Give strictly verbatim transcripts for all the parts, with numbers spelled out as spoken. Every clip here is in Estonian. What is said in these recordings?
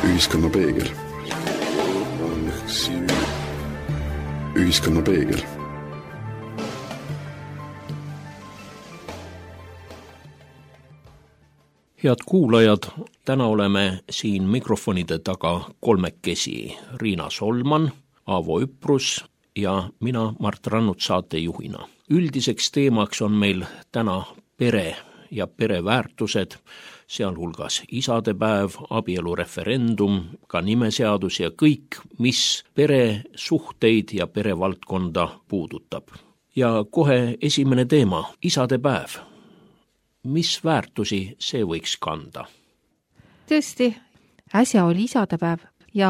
Ühiskonna peegel. Ühiskonna peegel. Head kuulajad, täna oleme siin mikrofonide taga kolmekesi. Riina Solman, Aavo Üprus ja mina, Mart Rannut, saatejuhina. Üldiseks teemaks on meil täna pere ja pereväärtused, sealhulgas isadepäev, abielureferendum, ka nimeseadus ja kõik, mis peresuhteid ja perevaldkonda puudutab. Ja kohe esimene teema, isadepäev. Mis väärtusi see võiks kanda? Tõesti, äsja oli isadepäev ja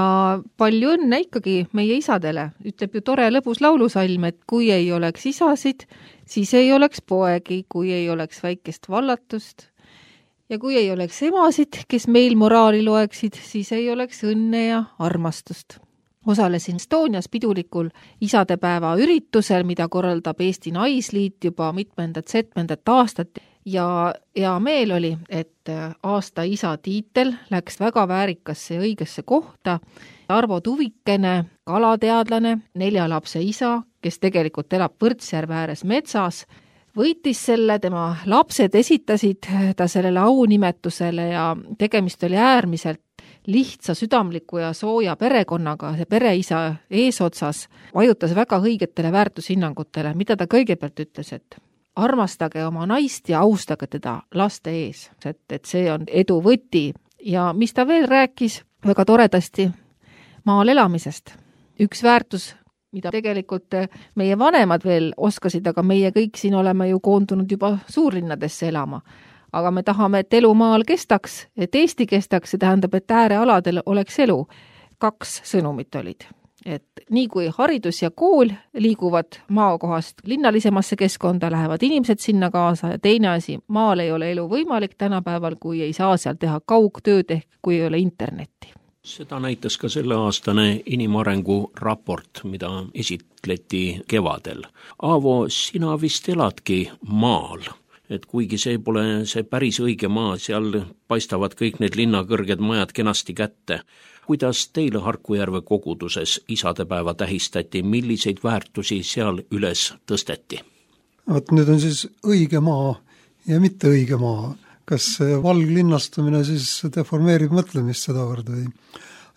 palju õnne ikkagi meie isadele. Ütleb ju tore lõbus laulusalm, et kui ei oleks isasid, siis ei oleks poegi, kui ei oleks väikest vallatust ja kui ei oleks emasid, kes meil moraali loeksid, siis ei oleks õnne ja armastust. Osalesin Estonias pidulikul isadepäeva üritusel, mida korraldab Eesti Naisliit juba mitmendat setmendat aastat. Ja, ja meel oli, et aasta isa tiitel läks väga väärikasse ja õigesse kohta. Arvo Tuvikene, kalateadlane, nelja lapse isa, kes tegelikult elab Võrtsjärve ääres metsas, võitis selle, tema lapsed esitasid ta sellele aunimetusele ja tegemist oli äärmiselt lihtsa, südamliku ja sooja perekonnaga. See pereisa eesotsas vajutas väga õigetele väärtushinnangutele, mida ta kõigepealt ütles, et armastage oma naist ja austage teda laste ees, et, et see on edu võti. Ja mis ta veel rääkis väga toredasti maal elamisest. Üks väärtus, mida tegelikult meie vanemad veel oskasid, aga meie kõik siin oleme ju koondunud juba suurlinnadesse elama. Aga me tahame, et elu maal kestaks, et Eesti kestaks, see tähendab, et äärealadel oleks elu. Kaks sõnumit olid. Et nii kui haridus ja kool liiguvad maakohast linnalisemasse keskkonda, lähevad inimesed sinna kaasa ja teine asi, maal ei ole elu võimalik tänapäeval, kui ei saa seal teha kaugtööd ehk kui ei ole internetti. Seda näitas ka selle aastane inimarengu raport, mida esitleti kevadel. Aavo, sina vist eladki maal, et kuigi see pole see päris õige maa, seal paistavad kõik need linnakõrged majad kenasti kätte. Kuidas teile Harkujärve koguduses isadepäeva tähistati, milliseid väärtusi seal üles tõsteti? Vaat nüüd on siis õige maa ja mitte õige maa. Kas valglinnastumine siis deformeerib mõtlemist sedavõrd või?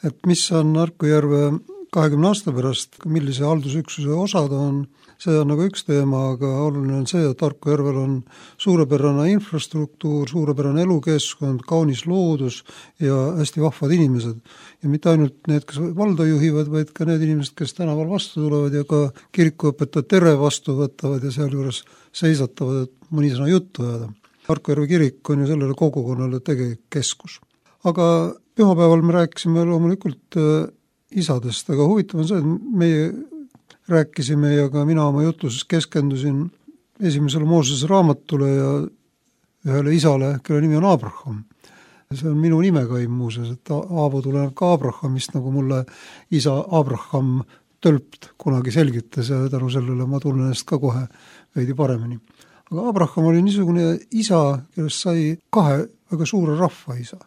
Et mis on Harkujärve kahekümne aasta pärast, millise haldusüksuse osad on, see on nagu üks teema, aga oluline on see, et Harkujärvel on suurepärane infrastruktuur, suurepärane elukeskkond, kaunis loodus ja hästi vahvad inimesed. Ja mitte ainult need, kes valda juhivad, vaid ka need inimesed, kes tänaval vastu tulevad ja ka kirikuõpetajad tere vastu võtavad ja seal juures seisatavad, et mõni sõna juttu ajada. Harkujärve kirik on ju sellele kogukonnale tegelik keskus. Aga pühapäeval me rääkisime loomulikult isadest, aga huvitav on see, et meie rääkisime ja ka mina oma jutluses keskendusin esimesele Moosese raamatule ja ühele isale, kelle nimi on Abraham. See on minu nimekaim muuseas, et Aavo tuleneb ka Abrahamist, nagu mulle isa Abraham Tölpt kunagi selgitas ja tänu sellele ma tunnen ennast ka kohe veidi paremini. Aga Abraham oli niisugune isa, kellest sai kahe väga suure rahva isa.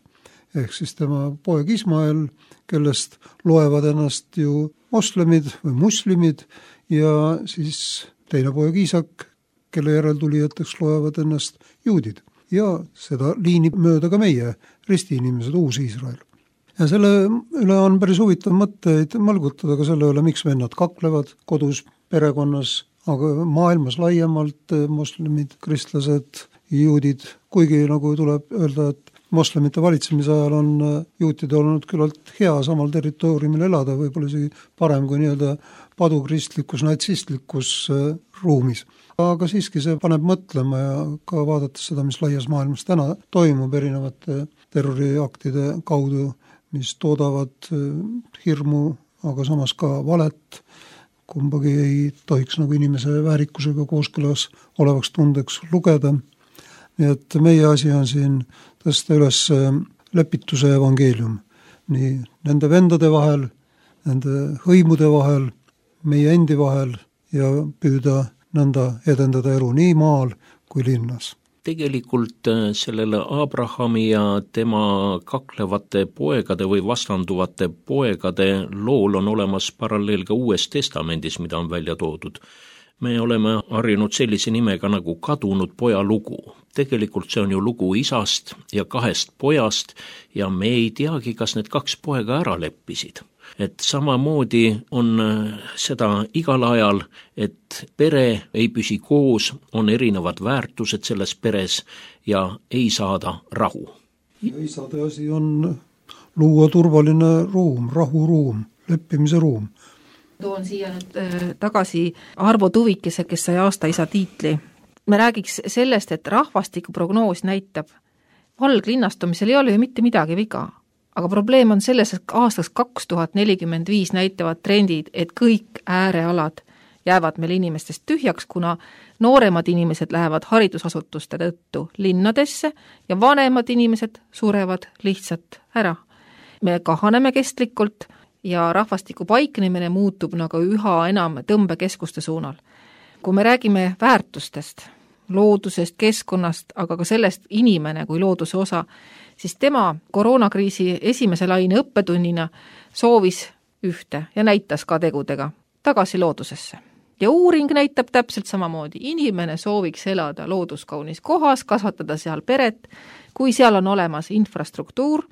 Ehk siis tema poeg Ismael, kellest loevad ennast ju moslemid või muslimid ja siis teine poeg Iisak, kelle järeltulijateks loevad ennast juudid. Ja seda liini mööda ka meie ristiinimesed, uus Iisrael. Ja selle üle on päris huvitav mõtteid mõlgutada ka selle üle, miks vennad kaklevad kodus, perekonnas, aga maailmas laiemalt moslemid, kristlased, juudid, kuigi nagu tuleb öelda, et moslemite valitsemise ajal on juutide olnud küllalt hea samal territooriumil elada, võib-olla isegi parem kui nii-öelda padukristlikus, natsistlikus ruumis. Aga siiski see paneb mõtlema ja ka vaadates seda, mis laias maailmas täna toimub erinevate terroriaktide kaudu, mis toodavad hirmu, aga samas ka valet, kumbagi ei tohiks nagu inimese väärikusega kooskõlas olevaks tundeks lugeda. Nii et meie asi on siin tõsta üles lepituse evangeelium nii nende vendade vahel, nende hõimude vahel, meie endi vahel ja püüda nõnda edendada elu nii maal kui linnas. tegelikult sellele Abrahami ja tema kaklevate poegade või vastanduvate poegade lool on olemas paralleel ka Uues Testamendis, mida on välja toodud. Me oleme harjunud sellise nimega nagu kadunud poja lugu. Tegelikult see on ju lugu isast ja kahest pojast ja me ei teagi, kas need kaks poega ära leppisid. Et samamoodi on seda igal ajal, et pere ei püsi koos, on erinevad väärtused selles peres ja ei saada rahu. Ja isade asi on luua turvaline ruum, rahuruum, leppimise ruum. Toon siia nüüd tagasi Arvo Tuvikese, kes sai aastaisa tiitli. Me räägiks sellest, et rahvastikuprognoos näitab, valglinnastumisel ei ole ju mitte midagi viga. Aga probleem on selles, et aastaks kaks tuhat nelikümmend viis näitavad trendid, et kõik äärealad jäävad meil inimestest tühjaks, kuna nooremad inimesed lähevad haridusasutuste tõttu linnadesse ja vanemad inimesed surevad lihtsalt ära. Me kahaneme kestlikult ja rahvastiku paiknemine muutub nagu üha enam tõmbekeskuste suunal. Kui me räägime väärtustest, loodusest, keskkonnast, aga ka sellest inimene kui looduse osa, siis tema koroonakriisi esimese laine õppetunnina soovis ühte ja näitas ka tegudega tagasi loodusesse. Ja uuring näitab täpselt samamoodi. Inimene sooviks elada looduskaunis kohas, kasvatada seal peret, kui seal on olemas infrastruktuur,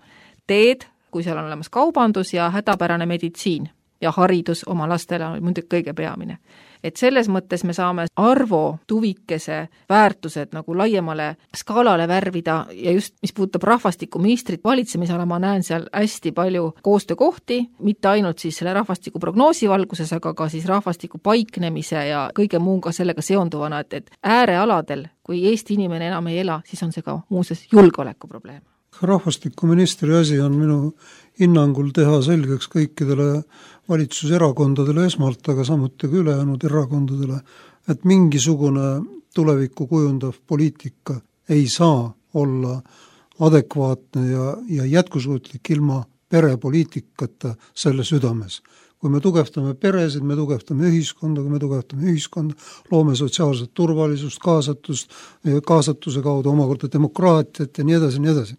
teed, kui seal on olemas kaubandus ja hädapärane meditsiin ja haridus oma lastele on muidugi kõige peamine. Et selles mõttes me saame Arvo Tuvikese väärtused nagu laiemale skaalale värvida ja just mis puudutab rahvastikuministrit valitsemisala, ma näen seal hästi palju koostöökohti, mitte ainult siis selle rahvastiku prognoosi valguses, aga ka siis rahvastiku paiknemise ja kõige muuga sellega seonduvana, et, et äärealadel, kui Eesti inimene enam ei ela, siis on see ka muuseas julgeoleku probleem. Rahvastikuministri asi on minu hinnangul teha selgeks kõikidele valitsuserakondadele esmalt, aga samuti ka ülejäänud erakondadele, et mingisugune tulevikku kujundav poliitika ei saa olla adekvaatne ja, ja jätkusuutlik ilma perepoliitikata selle südames. Kui me tugevdame peresid, me tugevdame ühiskonda, kui me tugevdame ühiskonda, loome sotsiaalset turvalisust, kaasatust, kaasatuse kaudu omakorda demokraatiat ja nii edasi, nii edasi.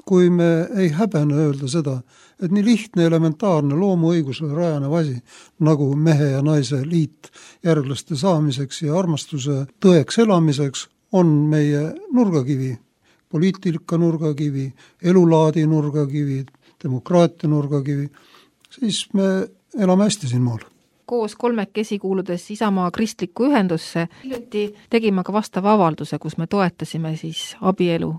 Kui me ei häbene öelda seda, et nii lihtne, elementaarne loomuõigusele rajanev asi, nagu mehe ja naise liit järglaste saamiseks ja armastuse tõeks elamiseks, on meie nurgakivi, poliitika nurgakivi, elulaadi nurgakivi, demokraatia nurgakivi, siis me elame hästi siin maal. Koos kolmekesi kuuludes Isamaa kristlikku ühendusse hiljuti tegime ka vastava avalduse, kus me toetasime siis abielu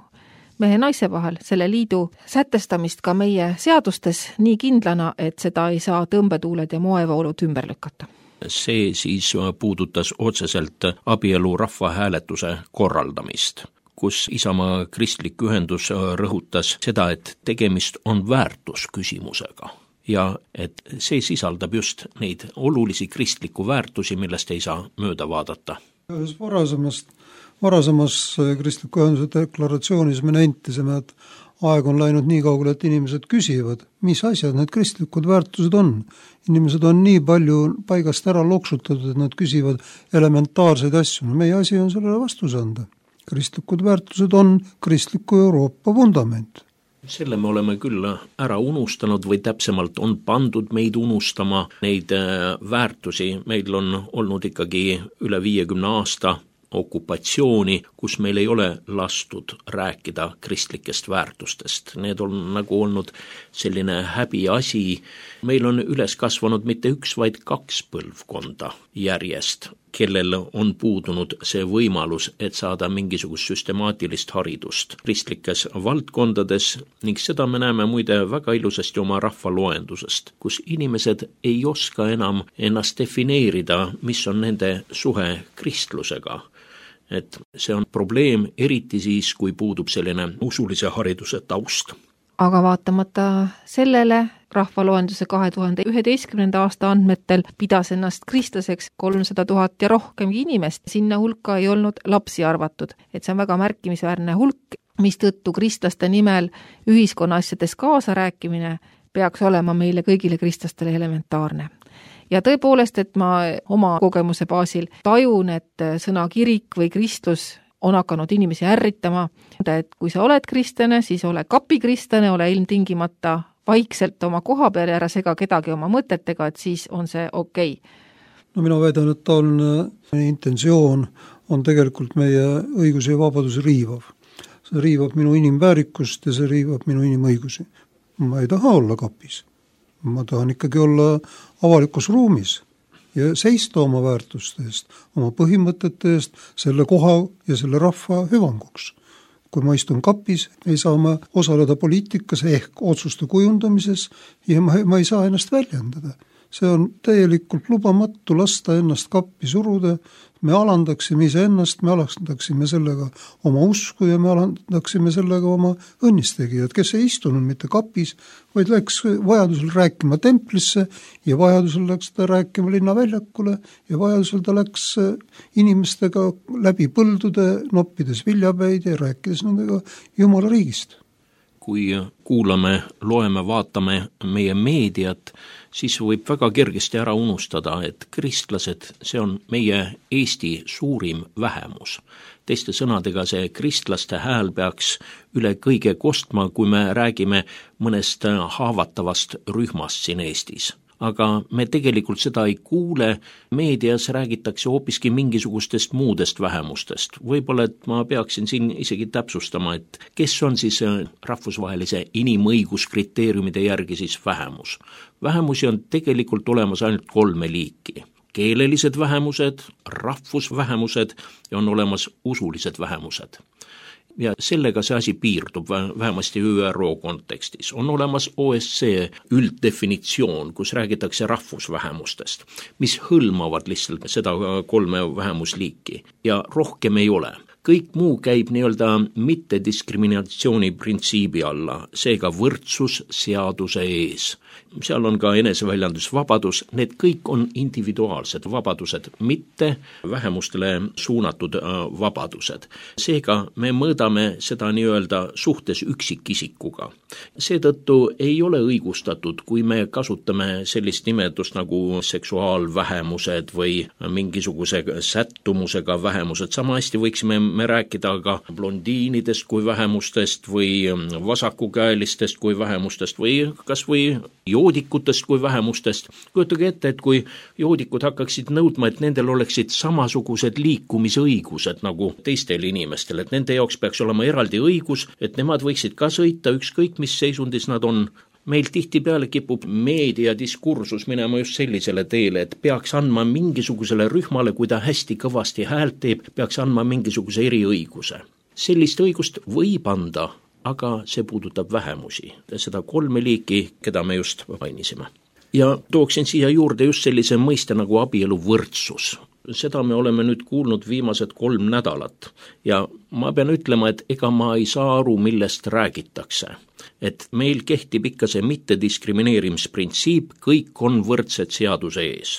mehe naise vahel, selle liidu sätestamist ka meie seadustes nii kindlana, et seda ei saa tõmbetuuled ja moevoolud ümber lükata. See siis puudutas otseselt abielu rahvahääletuse korraldamist, kus Isamaa kristlik ühendus rõhutas seda, et tegemist on väärtusküsimusega ja et see sisaldab just neid olulisi kristliku väärtusi, millest ei saa mööda vaadata. Ühes varasemast Varasemas kristliku ühenduse deklaratsioonis me nentisime, et aeg on läinud nii kaugele, et inimesed küsivad, mis asjad need kristlikud väärtused on. Inimesed on nii palju paigast ära loksutatud, et nad küsivad elementaarseid asju. No meie asi on sellele vastus anda. Kristlikud väärtused on kristliku Euroopa vundament. Selle me oleme küll ära unustanud või täpsemalt on pandud meid unustama neid väärtusi. Meil on olnud ikkagi üle viiekümne aasta okupatsiooni, kus meil ei ole lastud rääkida kristlikest väärtustest. Need on nagu olnud selline häbiasi. Meil on üles kasvanud mitte üks, vaid kaks põlvkonda järjest, kellel on puudunud see võimalus, et saada mingisugust süstemaatilist haridust kristlikes valdkondades ning seda me näeme muide väga ilusasti oma rahvaloendusest, kus inimesed ei oska enam ennast defineerida, mis on nende suhe kristlusega. Et see on probleem eriti siis, kui puudub selline usulise hariduse taust. Aga vaatamata sellele rahvaloenduse kahe tuhande üheteistkümnenda aasta andmetel pidas ennast kristlaseks kolmsada tuhat ja rohkemgi inimest. Sinna hulka ei olnud lapsi arvatud, et see on väga märkimisväärne hulk, mistõttu kristlaste nimel ühiskonna asjades kaasa rääkimine peaks olema meile kõigile kristlastele elementaarne. Ja tõepoolest, et ma oma kogemuse baasil tajun, et sõna kirik või kristlus on hakanud inimesi ärritama, et kui sa oled kristlane, siis ole kapikristlane, ole ilmtingimata vaikselt oma koha peal ja ära sega kedagi oma mõtetega, et siis on see okei okay. No mina väidan, et taoline intentsioon on tegelikult meie õiguse ja vabaduse riivav. See riivab minu inimväärikust ja see riivab minu inimõigusi. Ma ei taha olla kapis. Ma tahan ikkagi olla avalikus ruumis ja seista oma väärtuste eest, oma põhimõtete eest, selle koha ja selle rahva hüvanguks. Kui ma istun kapis, ei saa ma osaleda poliitikas ehk otsuste kujundamises ja ma, ma ei saa ennast väljendada. See on täielikult lubamatu lasta ennast kappi suruda, me alandaksime ise ennast, me alandaksime sellega oma usku ja me alandaksime sellega oma õnnistegijad, kes ei istunud mitte kapis, vaid läks vajadusel rääkima templisse ja vajadusel läks ta rääkima linnaväljakule ja vajadusel ta läks inimestega läbi põldude, noppides viljapäid ja rääkides nendega Jumala riigist. Kui kuulame, loeme, vaatame meie meediat, siis võib väga kergesti ära unustada, et kristlased, see on meie Eesti suurim vähemus. Teiste sõnadega see kristlaste hääl peaks üle kõige kostma, kui me räägime mõnest haavatavast rühmast siin Eestis. Aga me tegelikult seda ei kuule, meedias räägitakse hoopiski mingisugustest muudest vähemustest. Võib-olla, et ma peaksin siin isegi täpsustama, et kes on siis rahvusvahelise inimõiguskriteeriumide järgi siis vähemus. Vähemusi on tegelikult olemas ainult kolme liiki. Keelelised vähemused, rahvusvähemused ja on olemas usulised vähemused. Ja sellega see asi piirdub vähemasti Ü R O kontekstis. On olemas O S C E ülddefinitsioon, kus räägitakse rahvusvähemustest, mis hõlmavad lihtsalt seda kolme vähemusliiki ja rohkem ei ole. Kõik muu käib nii-öelda mittediskriminatsiooni printsiibi alla, seega võrdsus seaduse ees. Seal on ka eneseväljendusvabadus, need kõik on individuaalsed vabadused, mitte vähemustele suunatud vabadused. Seega me mõõdame seda nii-öelda suhtes üksikisikuga. Seetõttu ei ole õigustatud, kui me kasutame sellist nimetust nagu seksuaalvähemused või mingisuguse sättumusega vähemused. Sama hästi võiksime me rääkida ka blondiinidest kui vähemustest või vasakukäelistest kui vähemustest või kas või joodikutest kui vähemustest. Kujutage ette, et kui joodikud hakkaksid nõudma, et nendel oleksid samasugused liikumisõigused nagu teistel inimestel, et nende jaoks peaks olema eraldi õigus, et nemad võiksid ka sõita ükskõik, mis seisundis nad on. Meil tihtipeale kipub meediadiskursus minema just sellisele teele, et peaks andma mingisugusele rühmale, kui ta hästi kõvasti häält teeb, peaks andma mingisuguse eriõiguse. Sellist õigust võib anda, aga see puudutab vähemusi, seda kolme liiki, keda me just mainisime. Ja tooksin siia juurde just sellise mõiste nagu abielu võrdsus. Seda me oleme nüüd kuulnud viimased kolm nädalat ja ma pean ütlema, et ega ma ei saa aru, millest räägitakse. Et meil kehtib ikka see mittediskrimineerimisprintsiip, kõik on võrdsed seaduse ees.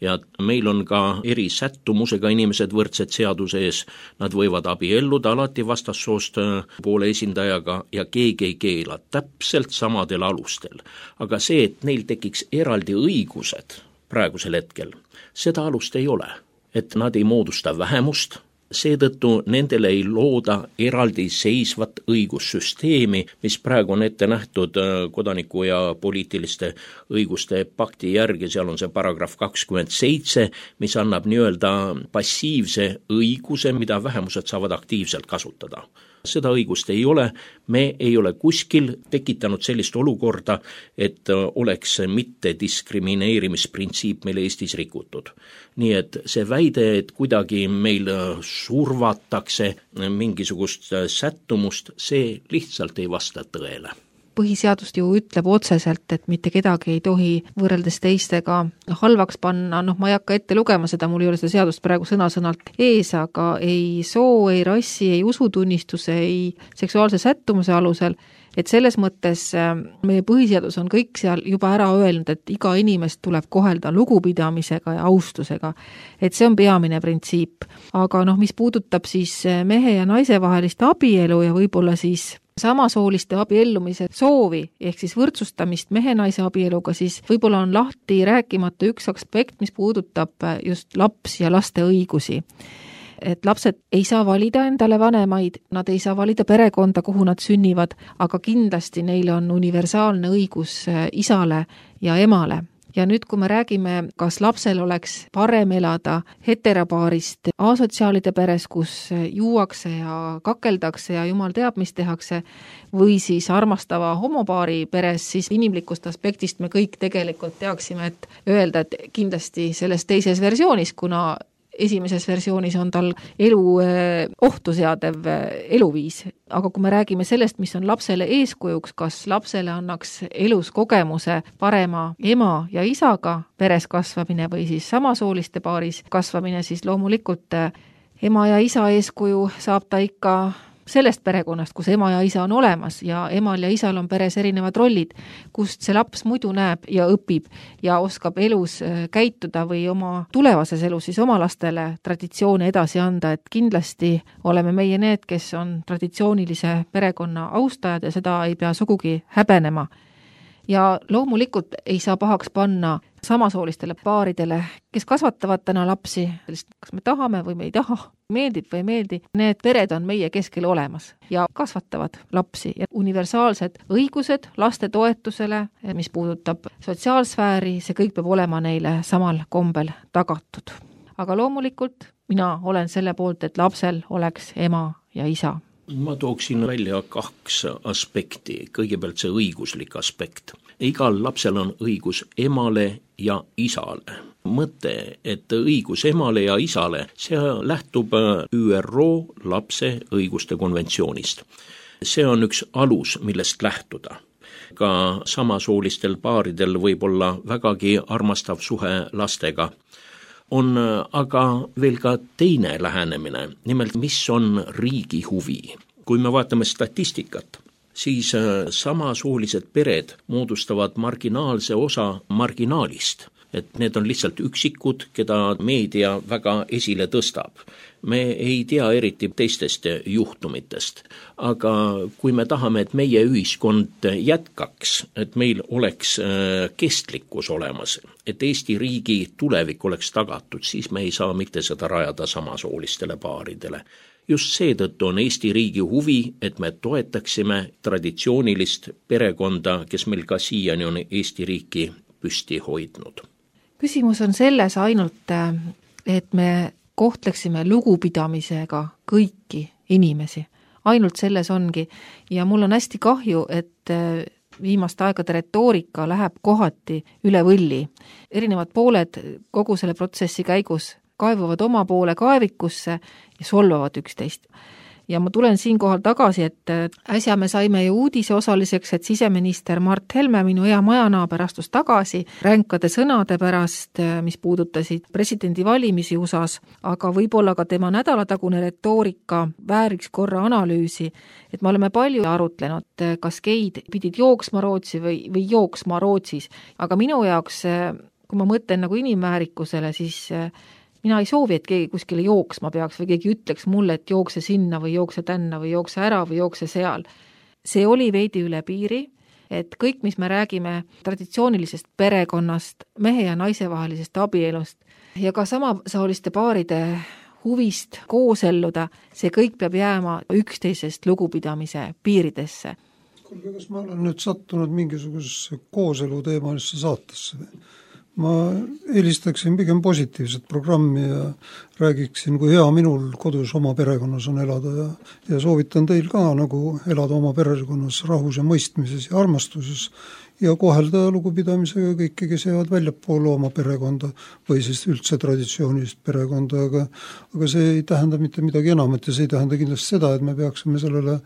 Ja meil on ka eri sättumusega inimesed võrdsed seaduse ees. Nad võivad abielluda alati vastassoost poole esindajaga ja keegi ei keela täpselt samadel alustel. Aga see, et neil tekiks eraldi õigused praegusel hetkel, seda alust ei ole. Et nad ei moodusta vähemust, seetõttu nendele ei looda eraldi seisvat õigussüsteemi, mis praegu on ette nähtud kodaniku ja poliitiliste õiguste pakti järgi, seal on see paragrahv kakskümmend seitse, mis annab nii-öelda passiivse õiguse, mida vähemused saavad aktiivselt kasutada. Seda õigust ei ole, me ei ole kuskil tekitanud sellist olukorda, et oleks mitte diskrimineerimisprintsiip meil Eestis rikutud. Nii et see väide, et kuidagi meil survatakse mingisugust sättumust, see lihtsalt ei vasta tõele. Põhiseadust ju ütleb otseselt, et mitte kedagi ei tohi võrreldes teistega halvaks panna, noh ma ei hakka ette lugema seda, mul ei ole seda seadust praegu sõna-sõnalt ees, aga ei soo, ei rassi, ei usutunnistuse, ei seksuaalse sättumuse alusel, et selles mõttes meie põhiseadus on kõik seal juba ära öelnud, et iga inimest tuleb kohelda lugupidamisega ja austusega, et see on peamine printsiip. Aga noh, mis puudutab siis mehe ja naise vahelist abielu ja võib-olla siis samasooliste abiellumise soovi, ehk siis võrdsustamist mehe-naise abieluga, siis võib-olla on lahti rääkimata üks aspekt, mis puudutab just laps ja laste õigusi. et lapsed ei saa valida endale vanemaid, nad ei saa valida perekonda, kuhu nad sünnivad, aga kindlasti neil on universaalne õigus isale ja emale. Ja nüüd, kui me räägime, kas lapsel oleks parem elada heteropaarist asotsiaalide peres, kus juuakse ja kakeldakse ja jumal teab, mis tehakse, või siis armastava homopaari peres, siis inimlikust aspektist me kõik tegelikult teaksime, et öelda, et kindlasti selles teises versioonis, kuna esimeses versioonis on tal elu ohtu seadev eluviis. Aga kui me räägime sellest, mis on lapsele eeskujuks, kas lapsele annaks elus kogemuse parema ema ja isaga peres kasvamine või siis samasooliste paaris kasvamine, siis loomulikult ema ja isa eeskuju saab ta ikka sellest perekonnast, kus ema ja isa on olemas ja emal ja isal on peres erinevad rollid, kust see laps muidu näeb ja õpib ja oskab elus käituda või oma tulevases elus siis oma lastele traditsioone edasi anda, et kindlasti oleme meie need, kes on traditsioonilise perekonna austajad ja seda ei pea sugugi häbenema. Ja loomulikult ei saa pahaks panna samasoolistele paaridele, kes kasvatavad täna lapsi, kas me tahame või me ei taha, meeldib või ei meeldi, need pered on meie keskel olemas ja kasvatavad lapsi ja universaalsed õigused laste toetusele, mis puudutab sotsiaalsfääri, see kõik peab olema neile samal kombel tagatud. Aga loomulikult mina olen selle poolt, et lapsel oleks ema ja isa. Ma tooksin välja kaks aspekti. Kõigepealt see õiguslik aspekt. Igal lapsel on õigus emale ja isale. Mõte, et õigus emale ja isale, see lähtub Ü R O lapse õiguste konventsioonist. See on üks alus, millest lähtuda. Ka samasoolistel paaridel võib olla vägagi armastav suhe lastega. On aga veel ka teine lähenemine, nimelt mis on riigi huvi. Kui me vaatame statistikat, siis samasoolised pered moodustavad marginaalse osa marginaalist, et need on lihtsalt üksikud, keda meedia väga esile tõstab. Me ei tea eriti teistest juhtumitest, aga kui me tahame, et meie ühiskond jätkaks, et meil oleks kestlikkus olemas, et Eesti riigi tulevik oleks tagatud, siis me ei saa mitte seda rajada samasoolistele paaridele. Just seetõttu on Eesti riigi huvi, et me toetaksime traditsioonilist perekonda, kes meil ka siiani on Eesti riiki püsti hoidnud. Küsimus on selles ainult, et me kohtleksime lugupidamisega kõiki inimesi. Ainult selles ongi. Ja mul on hästi kahju, et viimaste aegade retoorika läheb kohati üle võlli. Erinevad pooled kogu selle protsessi käigus kaevuvad oma poole kaevikusse ja solvavad üksteist. Ja ma tulen siinkohal tagasi, et äsja me saime ju uudise osaliseks, et siseminister Mart Helme, minu hea majanaaber, astus tagasi ränkade sõnade pärast, mis puudutasid presidendi valimisi U S A-s, aga võib-olla ka tema nädalatagune retoorika vääriks korra analüüsi, et me oleme palju arutlenud, kas geid pidid jooksma Rootsi või, või jooksma Rootsis, aga minu jaoks, kui ma mõtlen nagu inimväärikusele, siis mina ei soovi, et keegi kuskile jooksma peaks või keegi ütleks mulle, et jookse sinna või jookse tänna või jookse ära või jookse seal. See oli veidi üle piiri, et kõik, mis me räägime traditsioonilisest perekonnast, mehe ja naise vahelisest abielust ja ka samasooliste paaride huvist kooselluda, see kõik peab jääma üksteisest lugupidamise piiridesse. Kuulge, kas ma olen nüüd sattunud mingisugusesse kooselu teemalisse saatesse või? Ma eelistaksin pigem positiivset programmi ja räägiksin, kui hea minul kodus oma perekonnas on elada ja, ja soovitan teil ka nagu elada oma perekonnas rahus ja mõistmises ja armastuses ja kohelda lugupidamisega kõiki, kes jäävad väljapoole oma perekonda või siis üldse traditsioonilist perekonda, aga, aga see ei tähenda mitte midagi enamat ja see ei tähenda kindlasti seda, et me peaksime sellele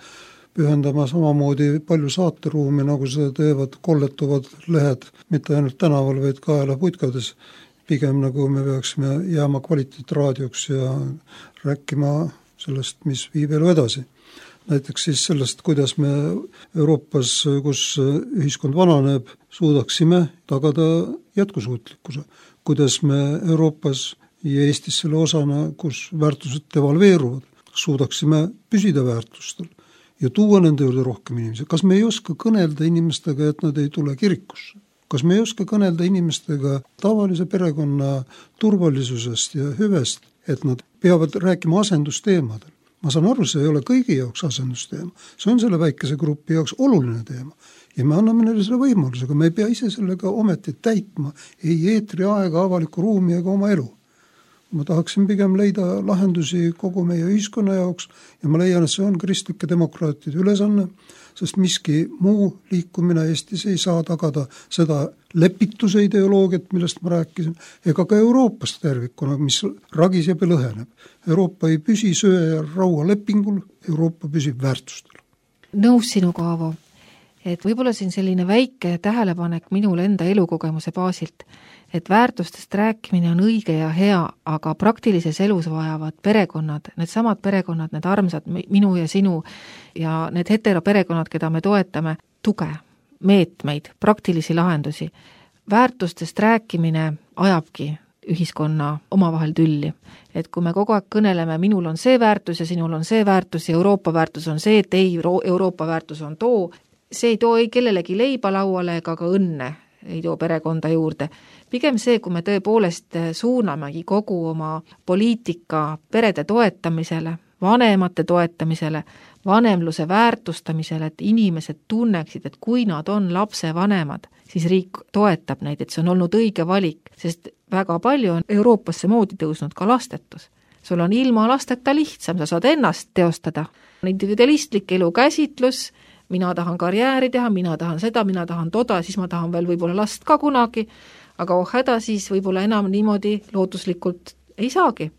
pühendama samamoodi palju saateruumi, nagu seda teevad kolletuvad lehed, mitte ainult tänaval, vaid kaela putkades. Pigem nagu me peaksime jääma kvaliteetraadioks ja rääkima sellest, mis viib elu edasi. Näiteks siis sellest, kuidas me Euroopas, kus ühiskond vananeb, suudaksime tagada jätkusuutlikkuse. Kuidas me Euroopas ja Eestis selle osana, kus väärtused devalveeruvad, suudaksime püsida väärtustel ja tuua nende juurde rohkem inimesi. Kas me ei oska kõnelda inimestega, et nad ei tule kirikusse? Kas me ei oska kõnelda inimestega tavalise perekonna turvalisusest ja hüvest et nad peavad rääkima asendusteemadel. Ma saan aru, see ei ole kõigi jaoks asendusteema, see on selle väikese grupi jaoks oluline teema ja me anname neile selle võimaluse, aga me ei pea ise sellega ometi täitma ei eetri aega, avalikku ruumi ega oma elu. Ma tahaksin pigem leida lahendusi kogu meie ühiskonna jaoks ja ma leian, et see on kristlike demokraatide ülesanne, sest miski muu liikumine Eestis ei saa tagada seda lepituse ideoloogiat, millest ma rääkisin, ega ka Euroopast tervikuna, mis ragiseb ja lõheneb. Euroopa ei püsi söe ja raua lepingul, Euroopa püsib väärtustel. Nõus sinuga, Aavo, et võib-olla siin selline väike tähelepanek minule enda elukogemuse baasilt, et väärtustest rääkimine on õige ja hea, aga praktilises elus vajavad perekonnad, need samad perekonnad, need armsad minu ja sinu ja need heteroperekonnad, keda me toetame, tuge, meetmeid, praktilisi lahendusi. Väärtustest rääkimine ajabki ühiskonna omavahel tülli. Et kui me kogu aeg kõneleme, minul on see väärtus ja sinul on see väärtus ja Euroopa väärtus on see, et ei, Euroopa väärtus on too, see ei too ei kellelegi leiba lauale ega ka õnne ei too perekonda juurde. Pigem see, kui me tõepoolest suunamegi kogu oma poliitika perede toetamisele, vanemate toetamisele, vanemluse väärtustamisele, et inimesed tunneksid, et kui nad on lapse vanemad, siis riik toetab neid, et see on olnud õige valik, sest väga palju on Euroopasse moodi tõusnud ka lastetus. Sul on ilma lasteta lihtsam, sa saad ennast teostada. Individualistlik elukäsitlus, mina tahan karjääri teha, mina tahan seda, mina tahan toda, siis ma tahan veel võib-olla last ka kunagi, aga oh häda siis võib-olla enam niimoodi lootuslikult ei saagi,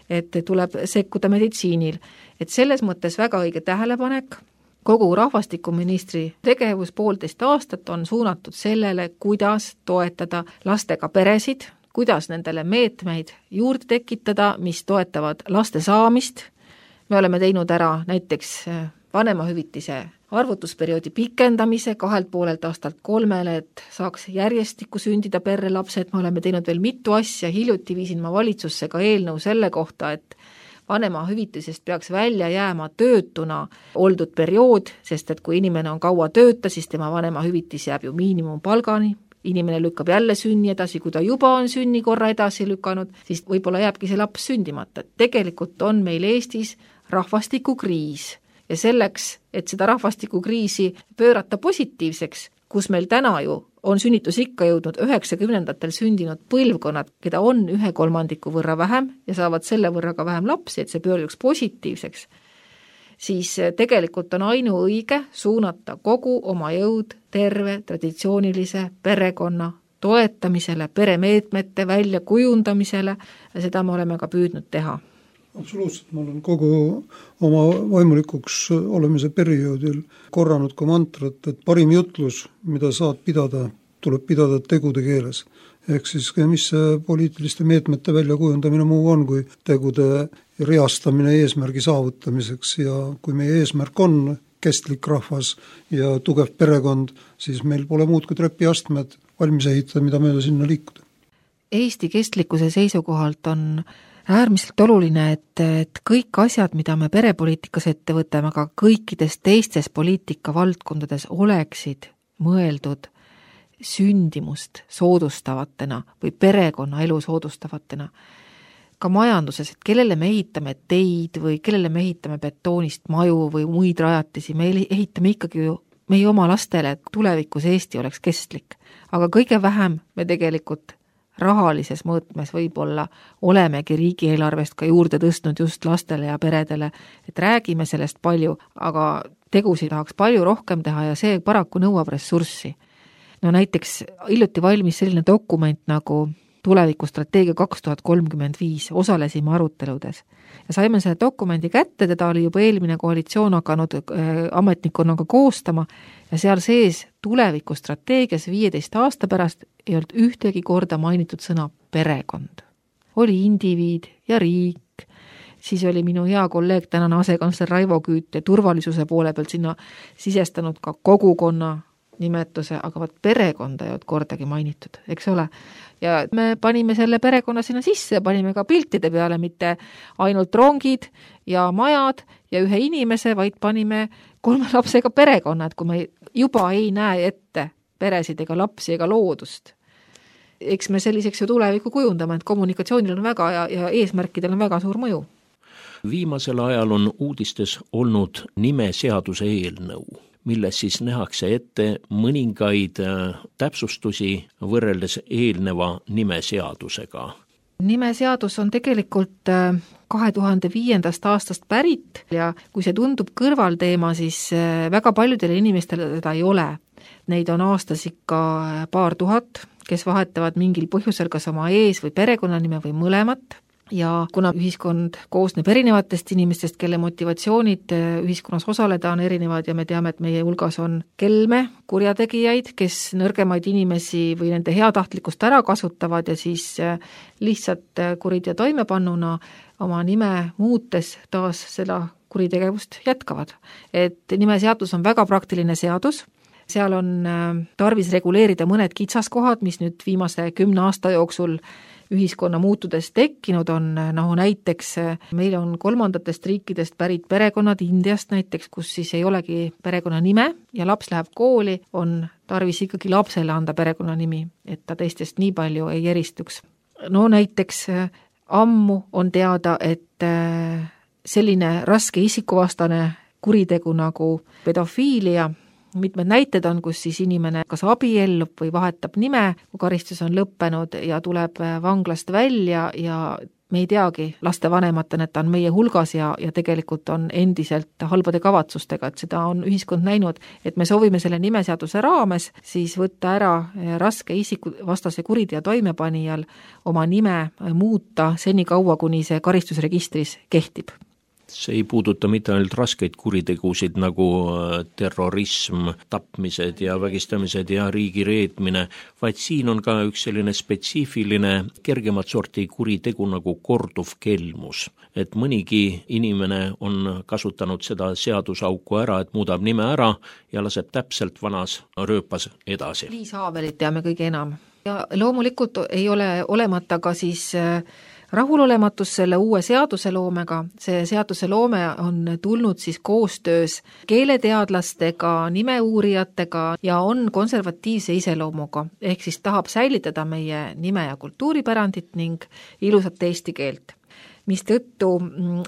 et tuleb sekkuda meditsiinil. Et selles mõttes väga õige tähelepanek, kogu rahvastikuministri tegevus poolteist aastat on suunatud sellele, kuidas toetada lastega peresid, kuidas nendele meetmeid juurde tekitada, mis toetavad laste saamist. Me oleme teinud ära näiteks vanemahüvitise arvutusperioodi pikendamise kahelt poolelt aastalt kolmele, et saaks järjestikku sündida perre lapsed. Me oleme teinud veel mitu asja, hiljuti viisin ma valitsusse ka eelnõu selle kohta, et vanemahüvitisest peaks välja jääma töötuna oldud periood, sest et kui inimene on kaua tööta, siis tema vanemahüvitis jääb ju miinimumpalgani, inimene lükkab jälle sünni edasi, kui ta juba on sünni korra edasi lükanud, siis võib-olla jääbki see laps sündimata. Tegelikult on meil Eestis rahvastikukriis ja selleks, et seda rahvastikukriisi pöörata positiivseks, kus meil täna ju on sünnitus ikka jõudnud üheksakümnendatel sündinud põlvkonnad, keda on ühe kolmandiku võrra vähem ja saavad selle võrra ka vähem lapsi, et see pöörduks positiivseks, siis tegelikult on ainuõige suunata kogu oma jõud terve traditsioonilise perekonna toetamisele, peremeetmete väljakujundamisele ja seda me oleme ka püüdnud teha. Absoluutselt, ma olen kogu oma vaimulikuks olemise perioodil korranud ka mantrat, et parim jutlus, mida saad pidada, tuleb pidada tegude keeles. Ehk siis, mis see poliitiliste meetmete väljakujundamine muu on, kui tegude reastamine eesmärgi saavutamiseks ja kui meie eesmärk on kestlik rahvas ja tugev perekond, siis meil pole muud kui trepiastmed valmis ehitada, mida mööda sinna liikuda. Eesti kestlikkuse seisukohalt on äärmiselt oluline, et, et kõik asjad, mida me perepoliitikas ette võtame, aga kõikides teistes poliitika valdkondades oleksid mõeldud sündimust soodustavatena või perekonna elu soodustavatena. Ka majanduses, et kellele me ehitame teid või kellele me ehitame betoonist maju või muid rajatisi, me ehitame ikkagi ju meie oma lastele, et tulevikus Eesti oleks kestlik. Aga kõige vähem me tegelikult rahalises mõõtmes võib-olla olemegi riigieelarvest ka juurde tõstnud just lastele ja peredele, et räägime sellest palju, aga tegusid tahaks palju rohkem teha ja see paraku nõuab ressurssi. No näiteks hiljuti valmis selline dokument nagu tulevikustrateegia kaks tuhat kolmkümmend viis, osalesime aruteludes ja saime selle dokumendi kätte, teda oli juba eelmine koalitsioon hakanud äh, ametnikkonnaga koostama ja seal sees tulevikustrateegias viieteist aasta pärast ei olnud ühtegi korda mainitud sõna perekond. Oli indiviid ja riik, siis oli minu hea kolleeg, tänane asekantsler Raivo Küüt ja turvalisuse poole pealt sinna sisestanud ka kogukonna nimetuse, aga vaat perekonda ei olnud kordagi mainitud, eks ole. Ja me panime selle perekonna sinna sisse, panime ka piltide peale, mitte ainult rongid ja majad ja ühe inimese, vaid panime kolme lapsega perekonna, et kui me juba ei näe ette peresid ega lapsi ega loodust. eks me selliseks ju tulevikku kujundame, et kommunikatsioonil on väga ja, ja eesmärkidel on väga suur mõju. Viimasel ajal on uudistes olnud nimeseaduse eelnõu, milles siis nähakse ette mõningaid täpsustusi võrreldes eelneva nimeseadusega. Nimeseadus on tegelikult kahe tuhande viiendast aastast pärit ja kui see tundub kõrvalteema, siis väga paljudele inimestele seda ei ole. Neid on aastas ikka paar tuhat, kes vahetavad mingil põhjusel kas oma ees- või perekonnanime või mõlemat. Ja kuna ühiskond koosneb erinevatest inimestest, kelle motivatsioonid ühiskonnas osaleda on erinevad ja me teame, et meie hulgas on kelme, kurjategijaid, kes nõrgemaid inimesi või nende heatahtlikkust ära kasutavad ja siis lihtsalt kuriteo toimepannuna oma nime muutes taas seda kuritegevust jätkavad. Et nimeseadus on väga praktiline seadus, seal on tarvis reguleerida mõned kitsaskohad, mis nüüd viimase kümne aasta jooksul ühiskonna muutudes tekkinud on, noh näiteks meil on kolmandatest riikidest pärit perekonnad Indiast näiteks, kus siis ei olegi perekonna nime ja laps läheb kooli, on tarvis ikkagi lapsele anda perekonnanimi, et ta teistest nii palju ei eristuks. No näiteks ammu on teada, et selline raske isikuvastane kuritegu nagu pedofiilia, mitmed näited on, kus siis inimene kas abiellub või vahetab nime, kui karistus on lõppenud ja tuleb vanglast välja ja me ei teagi laste vanematena, et ta on meie hulgas ja, ja tegelikult on endiselt halbade kavatsustega, et seda on ühiskond näinud, et me soovime selle nimeseaduse raames siis võtta ära raske isikuvastase kuriteo toimepanijal oma nime muuta seni kaua, kuni see karistusregistris kehtib. See ei puuduta mitte ainult raskeid kuritegusid nagu terrorism, tapmised ja vägistamised ja riigi reetmine, vaid siin on ka üks selline spetsiifiline kergemat sorti kuritegu nagu korduv kelmus. Et mõnigi inimene on kasutanud seda seadusauku ära, et muudab nime ära ja laseb täpselt vanas rööpas edasi. Liis Haavelit teame kõige enam. Ja loomulikult ei ole olemata ka siis rahulolematus selle uue seaduseloomega. See seaduseloome on tulnud siis koostöös keeleteadlastega, nimeuurijatega ja on konservatiivse iseloomuga, ehk siis tahab säilitada meie nime- ja kultuuripärandit ning ilusat eesti keelt. Mistõttu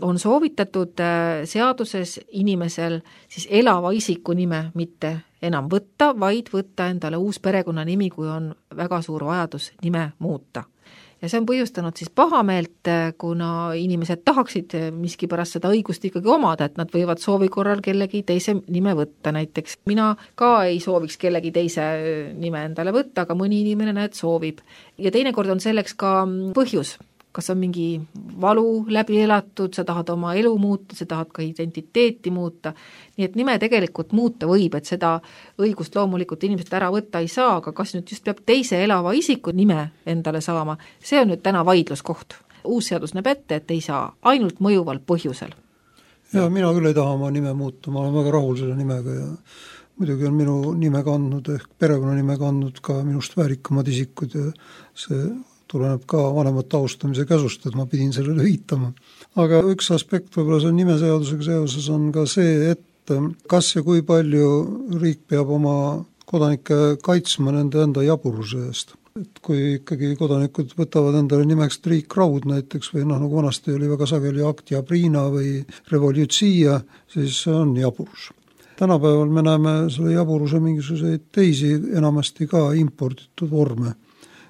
on soovitatud seaduses inimesel siis elava isiku nime mitte enam võtta, vaid võtta endale uus perekonnanimi, kui on väga suur vajadus nime muuta. Ja see on põhjustanud siis pahameelt, kuna inimesed tahaksid miskipärast seda õigust ikkagi omada, et nad võivad soovi korral kellegi teise nime võtta. Näiteks mina ka ei sooviks kellegi teise nime endale võtta, aga mõni inimene näed soovib. Ja teinekord on selleks ka põhjus. Kas on mingi valu läbi elatud, sa tahad oma elu muuta, sa tahad ka identiteeti muuta. Nii et nime tegelikult muuta võib, et seda õigust loomulikult inimesed ära võtta ei saa, aga kas nüüd just peab teise elava isiku nime endale saama, see on nüüd täna vaidluskoht. Uus seadus näeb ette, et ei saa, ainult mõjuval põhjusel. Ja mina küll ei taha oma nime muuta, ma olen väga rahul selle nimega ja muidugi on minu nime kandnud ehk perekonnanime kandnud ka minust väärikamad isikud ja see tuleneb ka vanemate austamise käsust, et ma pidin sellele viitama. Aga üks aspekt võib-olla see nimeseadusega seoses on ka see, et kas ja kui palju riik peab oma kodanikke kaitsma nende enda jaburuse eest. Et kui ikkagi kodanikud võtavad endale nimeks Triik Raud näiteks või noh, nagu vanasti oli väga sageli Aktia Priina või Revolutsia, siis see on jaburus. Tänapäeval me näeme selle jaburuse mingisuguseid teisi enamasti ka imporditud vorme.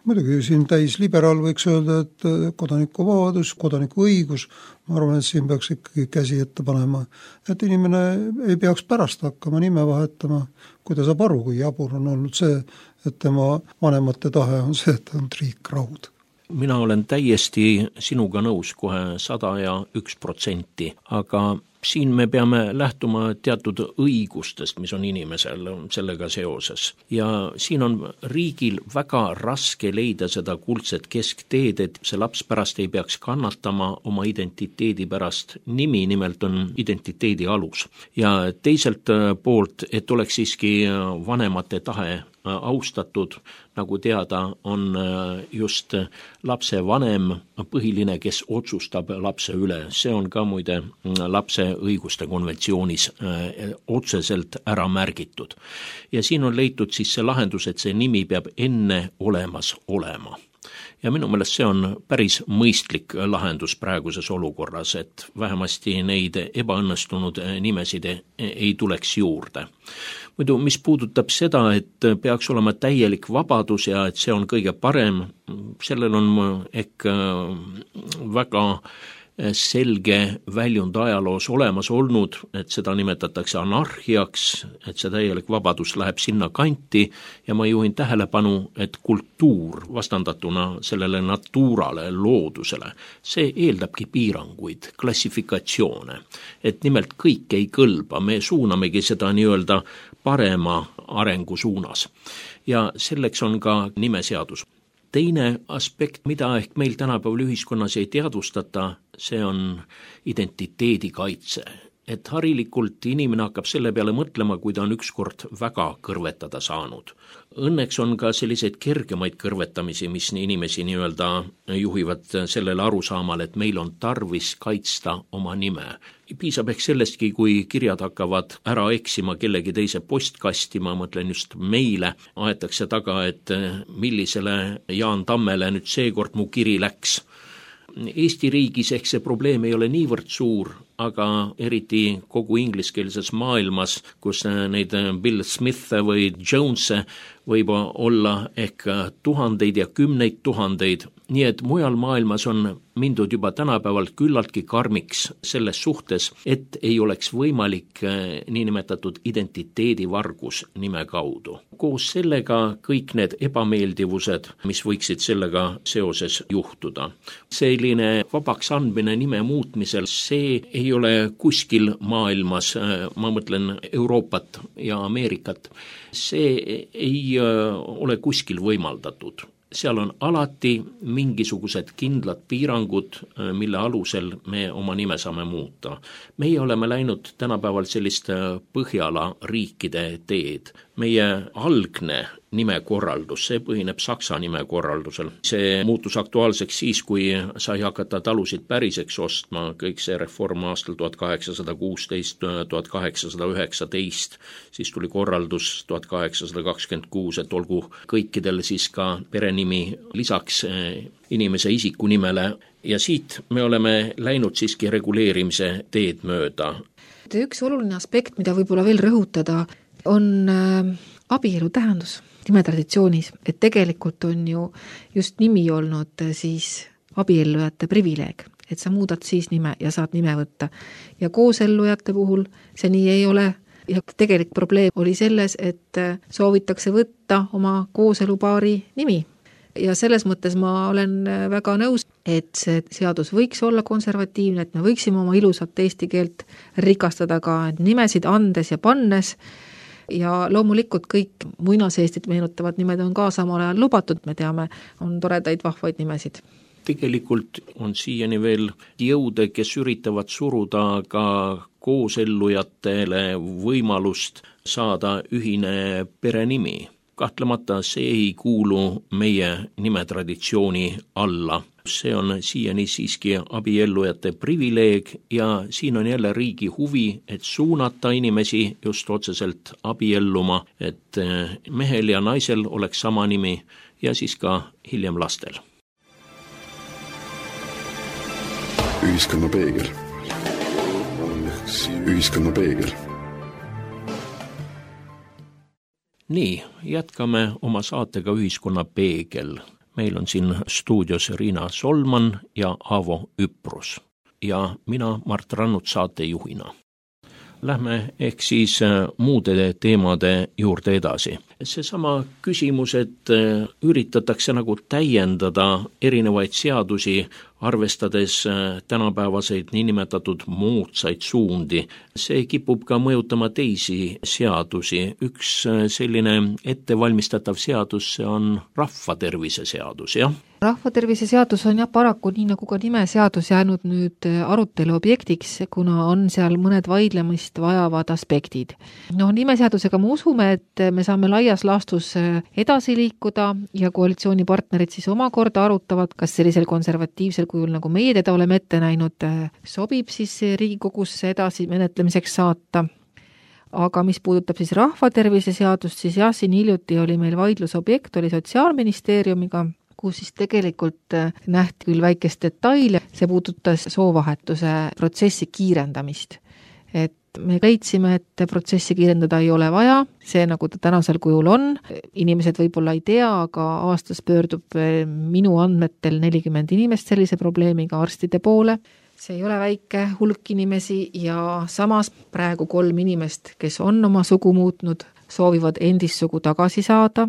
Muidugi siin täis liberaal võiks öelda, et kodanikuvabadus, kodanikuõigus, ma arvan, et siin peaks ikkagi käsi ette panema, et inimene ei peaks pärast hakkama nime vahetama, kui ta saab aru, kui jabur on olnud see, et tema vanemate tahe on see, et ta on Triik Raud. Mina olen täiesti sinuga nõus kohe sada ja üks protsenti, aga siin me peame lähtuma teatud õigustest, mis on inimesel sellega seoses. Ja siin on riigil väga raske leida seda kuldset keskteed, et see laps pärast ei peaks kannatama oma identiteedi pärast. Nimi nimelt on identiteedi alus. Ja teiselt poolt, et oleks siiski vanemate tahe austatud, nagu teada, on just lapse vanem põhiline, kes otsustab lapse üle. See on ka muide lapse õiguste konventsioonis otseselt ära märgitud. Ja siin on leitud siis see lahendus, et see nimi peab enne olemas olema. Ja minu meelest see on päris mõistlik lahendus praeguses olukorras, et vähemasti neid ebaõnnestunud nimesid ei tuleks juurde. Muidu, mis puudutab seda, et peaks olema täielik vabadus ja et see on kõige parem, sellel on ehk väga selge väljund ajaloos olemas olnud, et seda nimetatakse anarhiaks, et see täielik vabadus läheb sinna kanti ja ma juhin tähelepanu, et kultuur vastandatuna sellele naturale, loodusele, see eeldabki piiranguid, klassifikatsioone, et nimelt kõik ei kõlba, me suunamegi seda nii-öelda parema arengu suunas ja selleks on ka nimeseadus. Teine aspekt, mida ehk meil tänapäeval ühiskonnas ei teadvustata, see on identiteedi kaitse. Et harilikult inimene hakkab selle peale mõtlema, kui ta on ükskord väga kõrvetada saanud. Õnneks on ka selliseid kergemaid kõrvetamisi, mis inimesi nii-öelda juhivad sellele arusaamale, et meil on tarvis kaitsta oma nime. Piisab ehk sellestki, kui kirjad hakkavad ära eksima kellegi teise postkasti, ma mõtlen just meile, aetakse taga, et millisele Jaan Tammele nüüd seekord mu kiri läks. Eesti riigis ehk see probleem ei ole niivõrd suur, aga eriti kogu ingliskeelses maailmas, kus neid Bill Smithe või Jonese võib olla ehk tuhandeid ja kümneid tuhandeid, nii et mujal maailmas on mindud juba tänapäeval küllaltki karmiks selles suhtes, et ei oleks võimalik niinimetatud identiteedivargus nime kaudu. Koos sellega kõik need ebameeldivused, mis võiksid sellega seoses juhtuda. Selline vabaks andmine nime muutmisel, see ei ole kuskil maailmas, ma mõtlen Euroopat ja Ameerikat, see ei ole kuskil võimaldatud. Seal on alati mingisugused kindlad piirangud, mille alusel me oma nime saame muuta. Meie oleme läinud tänapäeval sellist Põhjala riikide teed. Meie algne nimekorraldus, see põhineb saksa nimekorraldusel. See muutus aktuaalseks siis, kui sai hakata talusid päriseks ostma, kõik see reform aastal tuhat kaheksasada kuusteist, tuhat kaheksasada üheksateist, siis tuli korraldus tuhat kaheksasada kakskümmend kuus, et olgu kõikidel siis ka perenimi lisaks inimese isikunimele ja siit me oleme läinud siiski reguleerimise teed mööda. Üks oluline aspekt, mida võib-olla veel rõhutada, on abielu tähendus nimetraditsioonis, et tegelikult on ju just nimi olnud siis abiellujate privileeg, et sa muudad siis nime ja saad nime võtta. Ja koosellujate puhul see nii ei ole ja tegelik probleem oli selles, et soovitakse võtta oma kooselupaari nimi. Ja selles mõttes ma olen väga nõus, et see seadus võiks olla konservatiivne, et me võiksime oma ilusat eesti keelt rikastada ka nimesid andes ja pannes. Ja loomulikult kõik muinaseestit meenutavad nimed on ka samal ajal lubatud, me teame, on toredaid vahvaid nimesid. Tegelikult on siiani veel jõude, kes üritavad suruda ka koosellujatele võimalust saada ühine perenimi. Kahtlemata see ei kuulu meie nimetraditsiooni alla. See on siiani siiski abiellujate privileeg ja siin on jälle riigi huvi, et suunata inimesi just otseselt abielluma, et mehel ja naisel oleks sama nimi ja siis ka hiljem lastel. Ühiskonna peegel. Ühiskonna peegel. Nii, jätkame oma saatega Ühiskonna peegel. Meil on siin stuudios Riina Solman ja Aavo Üprus ja mina Mart Rannut saatejuhina. Lähme ehk siis muude teemade juurde edasi. Seesama küsimus, et üritatakse nagu täiendada erinevaid seadusi arvestades tänapäevaseid niinimetatud moodsaid suundi. See kipub ka mõjutama teisi seadusi. Üks selline ettevalmistatav seadus, see on rahvatervise seadus, jah? Rahvatervise seadus on jah paraku nii nagu ka nimeseadus jäänud nüüd arutelu objektiks, kuna on seal mõned vaidlemist vajavad aspektid. No nimeseadusega me usume, et me saame laias laastus edasi liikuda ja koalitsioonipartnerid siis omakorda arutavad, kas sellisel konservatiivsel kujul, nagu meie teda oleme ette näinud, sobib siis Riigikogusse edasi menetlemiseks saata. Aga mis puudutab siis rahvatervise seadust, siis jah, siin hiljuti oli meil vaidlusobjekt, oli Sotsiaalministeeriumiga, kus siis tegelikult nähti küll väikest detaili, see puudutas soovahetuse protsessi kiirendamist. Et me leidsime, et protsessi kiirendada ei ole vaja, see nagu ta tänasel kujul on. Inimesed võib-olla ei tea, aga aastas pöördub minu andmetel nelikümmend inimest sellise probleemiga arstide poole. See ei ole väike hulk inimesi ja samas praegu kolm inimest, kes on oma sugu muutnud, soovivad endist sugu tagasi saada.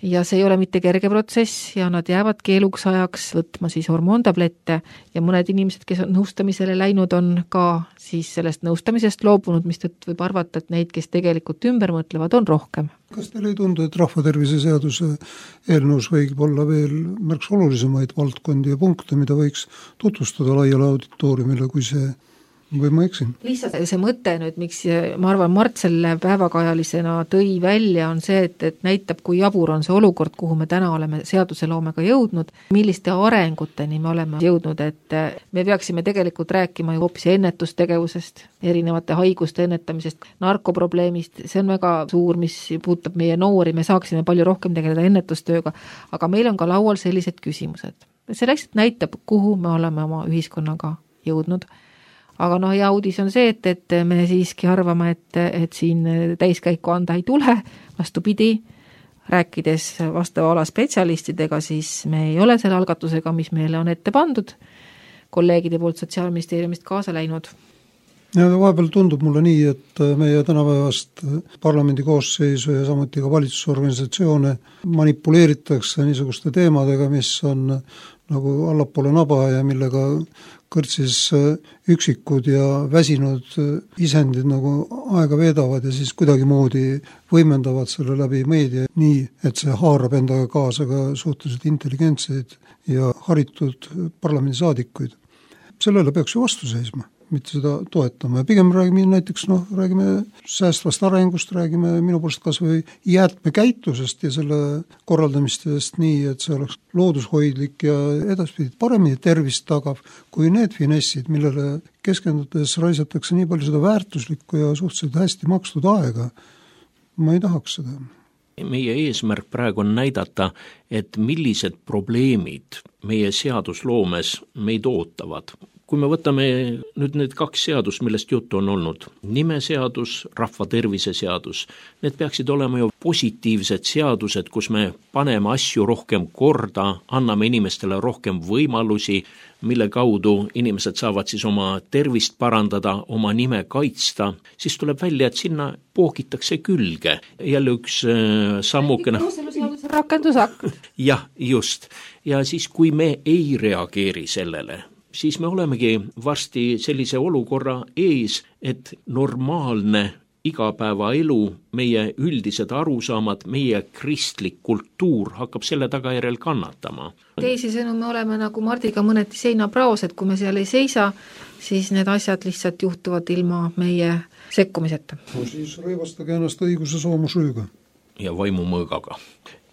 Ja see ei ole mitte kerge protsess ja nad jäävad keeluks ajaks võtma siis hormoontablette ja mõned inimesed, kes on nõustamisele läinud, on ka siis sellest nõustamisest loobunud, mis tõtt võib arvata, et neid, kes tegelikult ümber mõtlevad, on rohkem. Kas teile ei tundu, et rahvatervise seaduse eelnõus võib olla veel märks olulisemaid valdkondi ja punkte, mida võiks tutvustada laiale auditooriumile, kui see või ma eksin? Lihtsalt see mõte nüüd, miks ma arvan, Mart selle päevakajalisena tõi välja, on see, et, et näitab, kui jabur on see olukord, kuhu me täna oleme seaduseloomega jõudnud, milliste arenguteni me oleme jõudnud, et me peaksime tegelikult rääkima ju hoopis ennetustegevusest, erinevate haiguste ennetamisest, narkoprobleemist, see on väga suur, mis puudutab meie noori, me saaksime palju rohkem tegeleda ennetustööga, aga meil on ka laual sellised küsimused. See lihtsalt näitab, kuhu me oleme oma ühiskonnaga jõudnud. Aga noh, ja uudis on see, et, et me siiski arvame, et, et siin täiskäiku anda ei tule, vastupidi, rääkides vastava ala spetsialistidega, siis me ei ole selle algatusega, mis meile on ette pandud, kolleegide poolt Sotsiaalministeeriumist kaasa läinud. Ja vahepeal tundub mulle nii, et meie tänapäevast parlamendi koosseisu ja samuti ka valitsusorganisatsioone manipuleeritakse niisuguste teemadega, mis on nagu allapoole naba ja millega kõrtsis üksikud ja väsinud isendid nagu aega veedavad ja siis kuidagi moodi võimendavad selle läbi meedia nii, et see haarab endaga kaasa ka suhteliselt intelligentseid ja haritud parlamendisaadikuid. Sellele peaks ju vastu seisma, mitte seda toetama ja pigem räägime näiteks, noh, räägime säästvast arengust, räägime minu poolest kas või jäätmekäitusest ja selle korraldamistest nii, et see oleks loodushoidlik ja edaspidi paremini tervist tagav kui need finessid, millele keskendudes raisatakse nii palju seda väärtuslikku ja suhteliselt hästi makstud aega. Ma ei tahaks seda. Meie eesmärk praegu on näidata, et millised probleemid meie seadusloomes meid ootavad. Kui me võtame nüüd need kaks seadus, millest juttu on olnud, nimeseadus, rahvatervise seadus, need peaksid olema ju positiivsed seadused, kus me paneme asju rohkem korda, anname inimestele rohkem võimalusi, mille kaudu inimesed saavad siis oma tervist parandada, oma nime kaitsta, siis tuleb välja, et sinna poogitakse külge. Jälle üks äh, sammukene... rakendusakt. Jah, just. Ja siis, kui me ei reageeri sellele, siis me olemegi varsti sellise olukorra ees, et normaalne igapäevaelu, meie üldised arusaamad, meie kristlik kultuur hakkab selle tagajärjel kannatama. Teisisõnu me oleme nagu Mardiga mõneti seinapraos, et kui me seal ei seisa, siis need asjad lihtsalt juhtuvad ilma meie sekkumiseta. No siis rõivastage ennast õiguse soomusrüüga. Ja vaimumõõgaga.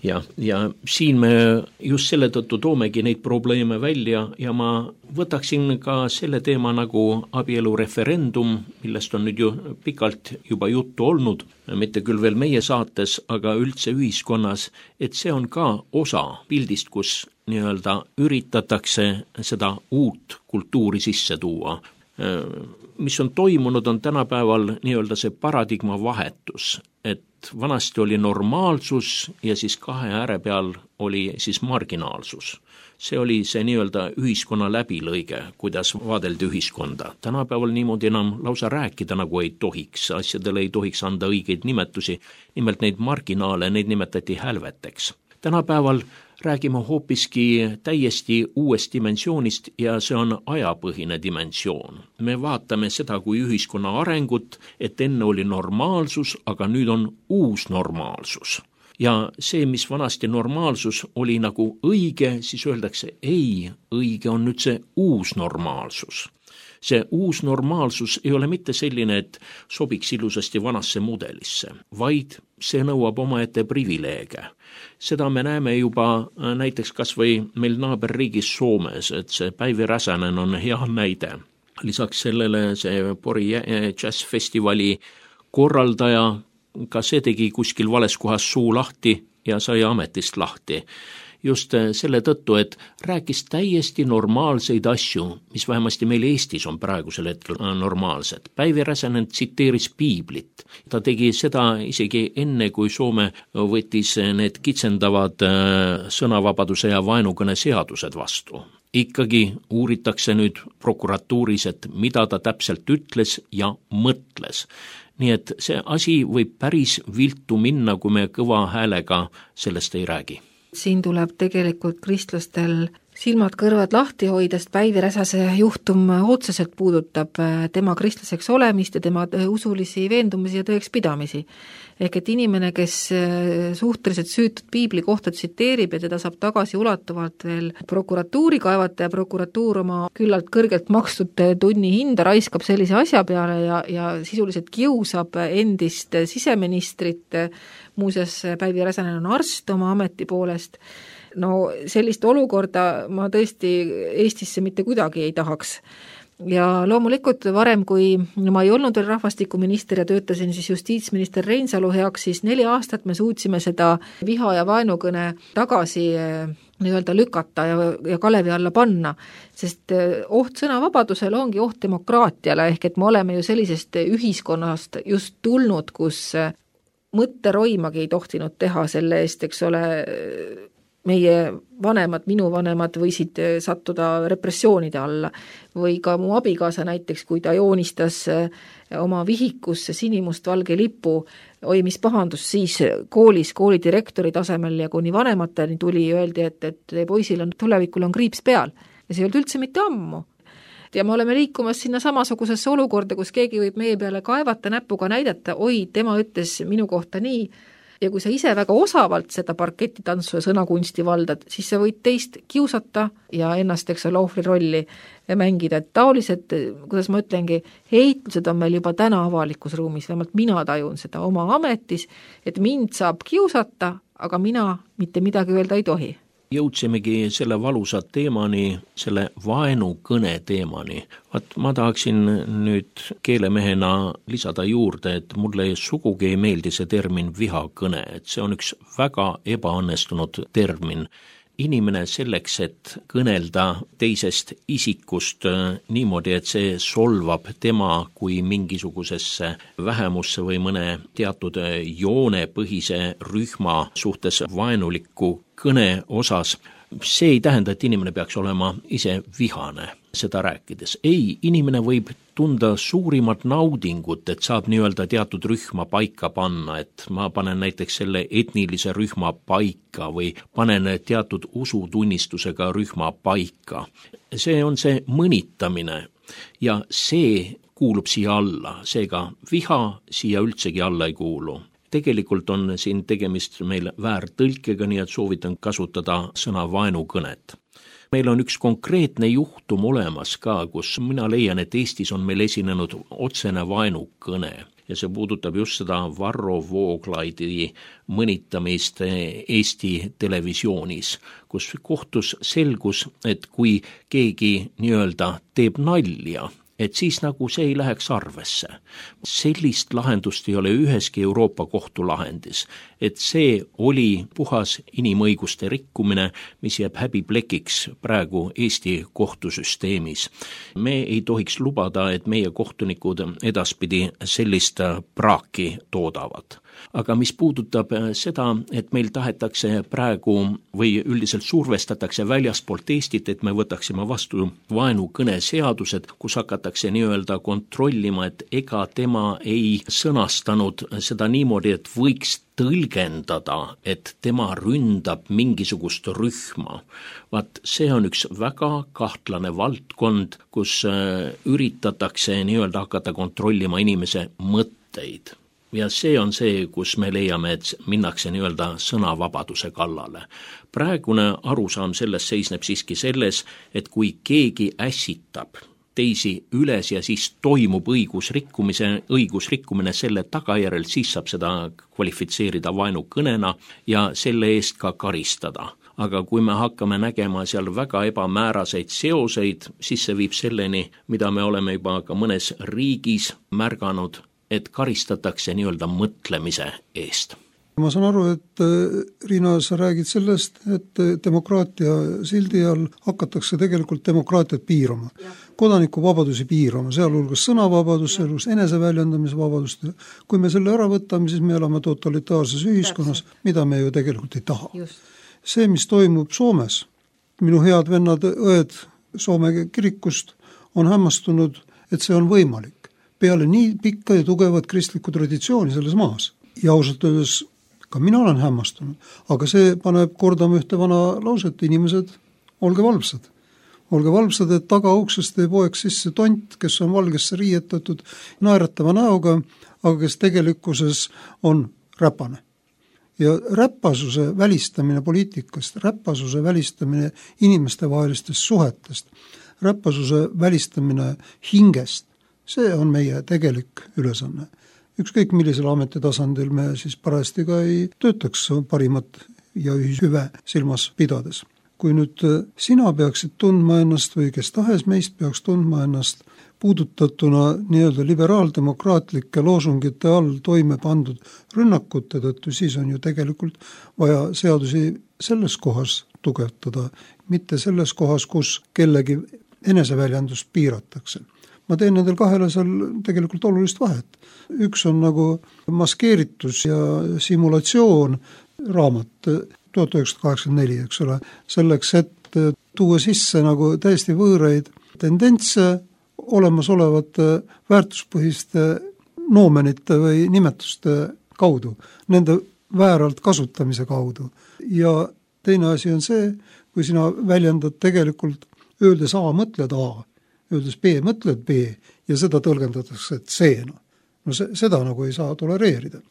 Ja, ja siin me just selle tõttu toomegi neid probleeme välja ja ma võtaksin ka selle teema nagu abielureferendum, millest on nüüd ju pikalt juba juttu olnud, mitte küll veel meie saates, aga üldse ühiskonnas, et see on ka osa pildist, kus nii-öelda üritatakse seda uut kultuuri sisse tuua. Mis on toimunud, on tänapäeval nii-öelda see paradigma vahetus, et vanasti oli normaalsus ja siis kahe ääre peal oli siis marginaalsus. See oli see nii-öelda ühiskonna läbilõige, kuidas vaadeldi ühiskonda. Tänapäeval niimoodi enam lausa rääkida nagu ei tohiks, asjadele ei tohiks anda õigeid nimetusi, nimelt neid marginaale, neid nimetati hälveteks. Tänapäeval räägime hoopiski täiesti uuest dimensioonist ja see on ajapõhine dimensioon. Me vaatame seda kui ühiskonna arengut, et enne oli normaalsus, aga nüüd on uus normaalsus. Ja see, mis vanasti normaalsus oli nagu õige, siis öeldakse, ei, õige on nüüd see uus normaalsus. See uus normaalsus ei ole mitte selline, et sobiks ilusasti vanasse mudelisse, vaid see nõuab omaette privileege. Seda me näeme juba näiteks kas või meil naaberriigis Soomes, et see Päivi Räsänen on hea näide. Lisaks sellele see Pori Jazz-festivali korraldaja, ka see tegi kuskil vales kohas suu lahti ja sai ametist lahti. Just selle tõttu, et rääkis täiesti normaalseid asju, mis vähemasti meil Eestis on praegusel hetkel normaalsed. Päivi Räsänen tsiteeris piiblit. Ta tegi seda isegi enne, kui Soome võttis need kitsendavad sõnavabaduse ja vaenukõne seadused vastu. Ikkagi uuritakse nüüd prokuratuuris, et mida ta täpselt ütles ja mõtles. Nii et see asi võib päris viltu minna, kui me kõva häälega sellest ei räägi. Siin tuleb tegelikult kristlastel silmad kõrvad lahti hoidest. Päivi Räsäse juhtum otseselt puudutab tema kristlaseks olemist ja tema usulisi veendumisi ja tõekspidamisi. Ehk et inimene, kes suhteliselt süütud piibli kohta tsiteerib ja teda saab tagasi ulatuvalt veel prokuratuuri kaevata ja prokuratuur oma küllalt kõrgelt makstud tunni hinda raiskab sellise asja peale ja, ja sisuliselt kiusab endist siseministrit. Muuseas, Päivi Räsänen on arst oma ameti poolest. No sellist olukorda ma tõesti Eestisse mitte kuidagi ei tahaks. Ja loomulikult varem, kui ma ei olnud veel rahvastikuminister ja töötasin siis justiitsminister Reinsalu heaks, siis neli aastat me suutsime seda viha ja vaenukõne tagasi nii-öelda lükata ja, ja kalevi alla panna, sest oht sõnavabadusel ongi oht demokraatiale, ehk et me oleme ju sellisest ühiskonnast just tulnud, kus mõtteroimagi ei tohtinud teha selle eest, eks ole, meie vanemad, minu vanemad võisid sattuda repressioonide alla või ka mu abikaasa näiteks, kui ta joonistas oma vihikusse sinimustvalge lipu, oi mis pahandus siis koolis, koolidirektori tasemel ja kuni vanemateni tuli, öeldi, et, et poisil on, tulevikul on kriips peal ja see ei olnud üldse mitte ammu. Ja me oleme liikumas sinna samasugusesse olukorda, kus keegi võib meie peale kaevata, näpuga näidata, oi, tema ütles minu kohta nii. Ja kui sa ise väga osavalt seda parketitantsu ja sõnakunsti valdad, siis sa võid teist kiusata ja ennast, eks ole, ohvri rolli mängida. Et taolised, kuidas ma ütlengi, heitlused on meil juba täna avalikus ruumis, vähemalt mina tajun seda oma ametis, et mind saab kiusata, aga mina mitte midagi öelda ei tohi. Jõudsimegi selle valusa teemani, selle vaenukõne teemani. Vaat ma tahaksin nüüd keelemehena lisada juurde, et mulle sugugi ei meeldi see termin vihakõne, et see on üks väga ebaõnnestunud termin. Inimene selleks, et kõnelda teisest isikust niimoodi, et see solvab tema kui mingisugusesse vähemusse või mõne teatud joonepõhise rühma suhtes vaenulikku kõne osas, see ei tähenda, et inimene peaks olema ise vihane seda rääkides. Ei, inimene võib tunda suurimat naudingut, et saab nii-öelda teatud rühma paika panna, et ma panen näiteks selle etnilise rühma paika või panen teatud usutunnistusega rühma paika. See on see mõnitamine ja see kuulub siia alla, seega viha siia üldsegi alla ei kuulu. Tegelikult on siin tegemist meil väärtõlkega, nii et soovitan kasutada sõna vaenukõnet. Meil on üks konkreetne juhtum olemas ka, kus mina leian, et Eestis on meil esinenud otsene vaenukõne ja see puudutab just seda Varro Vooglaidi mõnitamist Eesti televisioonis, kus kohtus selgus, et kui keegi nii-öelda teeb nalja, et siis nagu see ei läheks arvesse. Sellist lahendust ei ole üheski Euroopa kohtulahendis, et see oli puhas inimõiguste rikkumine, mis jääb häbiplekiks praegu Eesti kohtusüsteemis. Me ei tohiks lubada, et meie kohtunikud edaspidi sellist praaki toodavad. aga mis puudutab seda, et meil tahetakse praegu või üldiselt survestatakse väljaspoolt Eestit, et me võtaksime vastu vaenukõne seadused, kus hakatakse nii-öelda kontrollima, et ega tema ei sõnastanud seda niimoodi, et võiks tõlgendada, et tema ründab mingisugust rühma. Vaat see on üks väga kahtlane valdkond, kus üritatakse nii-öelda hakata kontrollima inimese mõtteid. Ja see on see, kus me leiame, et minnakse nii-öelda sõnavabaduse kallale. Praegune arusaam sellest seisneb siiski selles, et kui keegi ässitab teisi üles ja siis toimub õigusrikkumise, õigusrikkumine selle tagajärjel, siis saab seda kvalifitseerida vaenukõnena ja selle eest ka karistada. Aga kui me hakkame nägema seal väga ebamääraseid seoseid, siis see viib selleni, mida me oleme juba ka mõnes riigis märganud, et karistatakse nii-öelda mõtlemise eest. Ma saan aru, et Riina, sa räägid sellest, et demokraatia sildi all hakatakse tegelikult demokraatiat piirama. Kodanikuvabadusi piirama, sealhulgas sõnavabadus, sealhulgas eneseväljendamise vabadust. Kui me selle ära võtame, siis me elame totalitaarses ühiskonnas, mida me ju tegelikult ei taha. Just. See, mis toimub Soomes, minu head vennad, õed Soome kirikust on hämmastunud, et see on võimalik. Peale nii pikka ja tugevat kristlikku traditsiooni selles maas. Ja ausalt öeldes ka mina olen hämmastunud, aga see paneb kordama ühte vana lauset, inimesed, olge valvsad. Olge valvsad, et tagauksest ei poeks sisse tont, kes on valgesse riietatud naeratava näoga, aga kes tegelikkuses on räpane. Ja räpasuse välistamine poliitikast, räpasuse välistamine inimestevahelistest suhetest, räpasuse välistamine hingest, see on meie tegelik ülesanne. Ükskõik millisel ametitasandil me siis parajasti ka ei töötaks parimat ja ühishüve silmas pidades. Kui nüüd sina peaksid tundma ennast või kes tahes meist peaks tundma ennast puudutatuna nii-öelda liberaaldemokraatlike loosungite all toime pandud rünnakute tõttu, siis on ju tegelikult vaja seadusi selles kohas tugevtada, mitte selles kohas, kus kellegi eneseväljendust piiratakse. Ma teen nendel kahele seal tegelikult olulist vahet. Üks on nagu maskeeritus ja simulatsioon raamat tuhat üheksasada kaheksakümmend neli, eks ole, selleks, et tuua sisse nagu täiesti võõraid tendentse olemasolevate väärtuspõhiste noomenite või nimetuste kaudu, nende vääralt kasutamise kaudu. Ja teine asi on see, kui sina väljendad tegelikult, öeldes A, mõtled A, öeldes B, mõtled B ja seda tõlgendatakse C-na. No se, seda nagu ei saa tolereerida.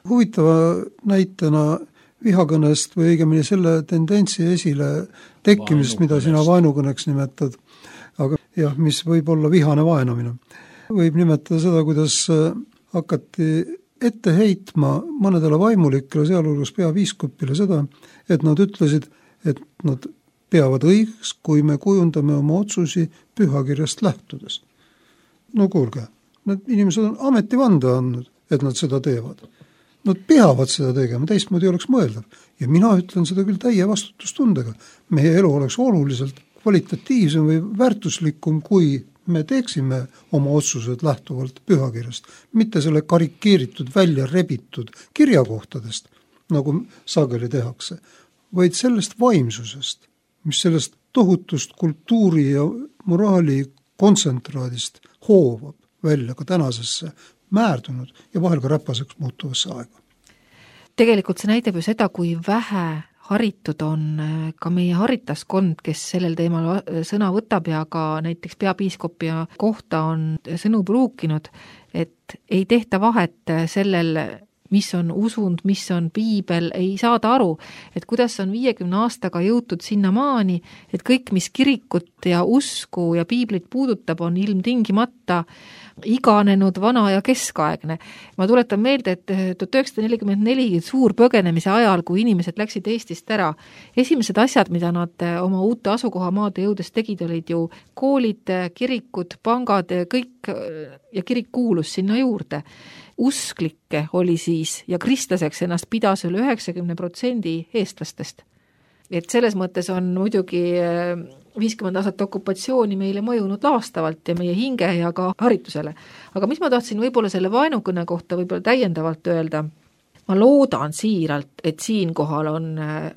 Huvitava näitena vihakõnest või õigemini selle tendentsi esile tekkimisest, mida sina vaenukõneks nimetad, aga jah, mis võib olla vihane vaenamine. Võib nimetada seda, kuidas hakati ette heitma mõnedele vaimulikele, sealhulgas peapiiskopile seda, et nad ütlesid, et nad peavad õigeks, kui me kujundame oma otsusi pühakirjast lähtudes. No kuulge, need inimesed on ametivande andnud, et nad seda teevad. Nad peavad seda tegema, teistmoodi oleks mõeldav. Ja mina ütlen seda küll täie vastutustundega. Meie elu oleks oluliselt kvalitatiivsem või väärtuslikum, kui me teeksime oma otsused lähtuvalt pühakirjast, mitte selle karikeeritud, välja rebitud kirjakohtadest, nagu sageli tehakse, vaid sellest vaimsusest, mis sellest tohutust kultuuri ja moraali kontsentraadist hoovab välja ka tänasesse määrdunud ja vahel ka räpaseks muutuvasse aega. Tegelikult see näitab ju seda, kui vähe haritud on ka meie haritaskond, kes sellel teemal sõna võtab ja ka näiteks peapiiskopi kohta on sõnu pruukinud, et ei tehta vahet sellel, mis on usund, mis on piibel, ei saada aru, et kuidas on viiekümne aastaga jõutud sinna maani, et kõik, mis kirikut ja usku ja piiblit puudutab, on ilmtingimata iganenud, vana ja keskaegne. Ma tuletan meelde, et tuhat üheksasada nelikümmend neli suur põgenemise ajal, kui inimesed läksid Eestist ära, esimesed asjad, mida nad oma uute asukohamaade jõudes tegid, olid ju koolid, kirikud, pangad, kõik ja kirik kuulus sinna juurde. Usklikke oli siis ja kristlaseks ennast pidas üle üheksakümne protsendi eestlastest. Et selles mõttes on muidugi viiskümmend aastat okupatsiooni meile mõjunud laastavalt ja meie hinge ja ka haritusele. Aga mis ma tahtsin võib-olla selle vaenukõne kohta võib-olla täiendavalt öelda, ma loodan siiralt, et siinkohal on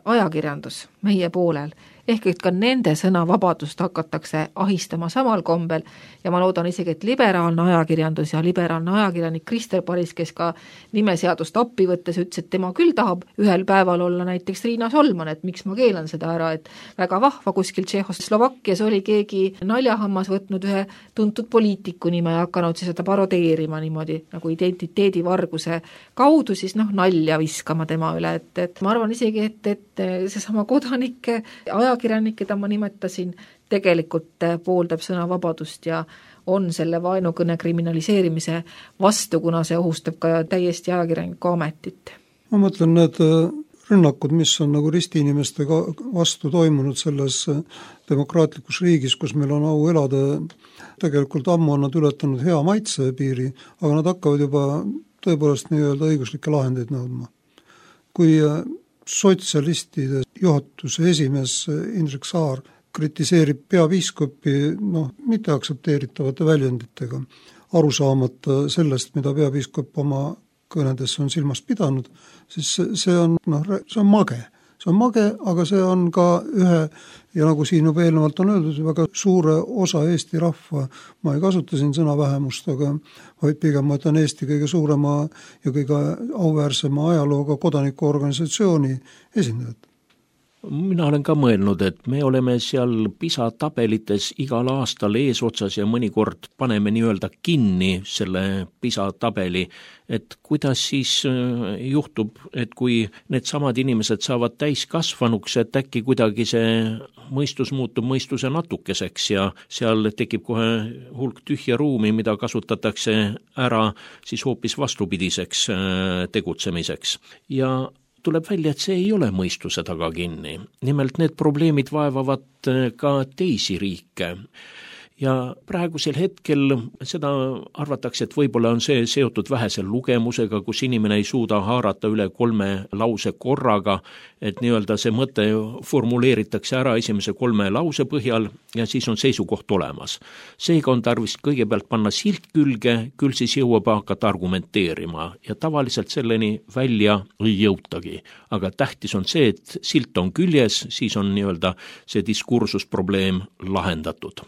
ajakirjandus meie poolel, ehk et ka nende sõnavabadust hakatakse ahistama samal kombel ja ma loodan isegi, et liberaalne ajakirjandus ja liberaalne ajakirjanik Krister Paris, kes ka nimeseadust appi võttes ütles, et tema küll tahab ühel päeval olla näiteks Riina Solman, et miks ma keelan seda ära, et väga vahva kuskil Tšehhoslovakkias oli keegi naljahammas võtnud ühe tuntud poliitiku nime ja hakanud seda parodeerima niimoodi nagu identiteedivarguse kaudu, siis noh, nalja viskama tema üle, et, et ma arvan isegi, et, et seesama kodanike ajakirjanik kirjanik, keda ma nimetasin, tegelikult pooldab sõnavabadust ja on selle vaenukõne kriminaliseerimise vastu, kuna see ohustab ka täiesti ajakirjaniku ametit. Ma mõtlen need rünnakud, mis on nagu ristiinimeste vastu toimunud selles demokraatlikus riigis, kus meil on au elada, tegelikult ammu on nad ületanud hea maitse piiri, aga nad hakkavad juba tõepoolest nii-öelda õiguslikke lahendeid nõudma. Kui sotsialistide juhatuse esimees Indrek Saar kritiseerib peapiiskopi noh, mitte aktsepteeritavate väljenditega, aru saamata sellest, mida peapiiskop oma kõnedes on silmas pidanud, siis see on, noh, see on mage. See on mage, aga see on ka ühe, ja nagu siin juba eelnevalt on öeldud, väga suure osa Eesti rahva, ma ei kasuta siin sõna vähemust, aga vaid pigem ma ütlen Eesti kõige suurema ja kõige auväärsema ajalooga kodanikuorganisatsiooni esindajad. Mina olen ka mõelnud, et me oleme seal PISA tabelites igal aastal eesotsas ja mõnikord paneme nii-öelda kinni selle PISA tabeli, et kuidas siis juhtub, et kui need samad inimesed saavad täiskasvanuks, et äkki kuidagi see mõistus muutub mõistuse natukeseks ja seal tekib kohe hulk tühja ruumi, mida kasutatakse ära siis hoopis vastupidiseks tegutsemiseks. Ja tuleb välja, et see ei ole mõistuse taga kinni. Nimelt need probleemid vaevavad ka teisi riike. Ja praegusel hetkel seda arvatakse, et võib-olla on see seotud vähese lugemusega, kus inimene ei suuda haarata üle kolme lause korraga, et nii-öelda see mõte formuleeritakse ära esimese kolme lause põhjal ja siis on seisukoht olemas. Seega on tarvis kõigepealt panna silt külge, küll siis jõuab hakata argumenteerima ja tavaliselt selleni välja ei jõutagi. Aga tähtis on see, et silt on küljes, siis on nii-öelda see diskursusprobleem lahendatud.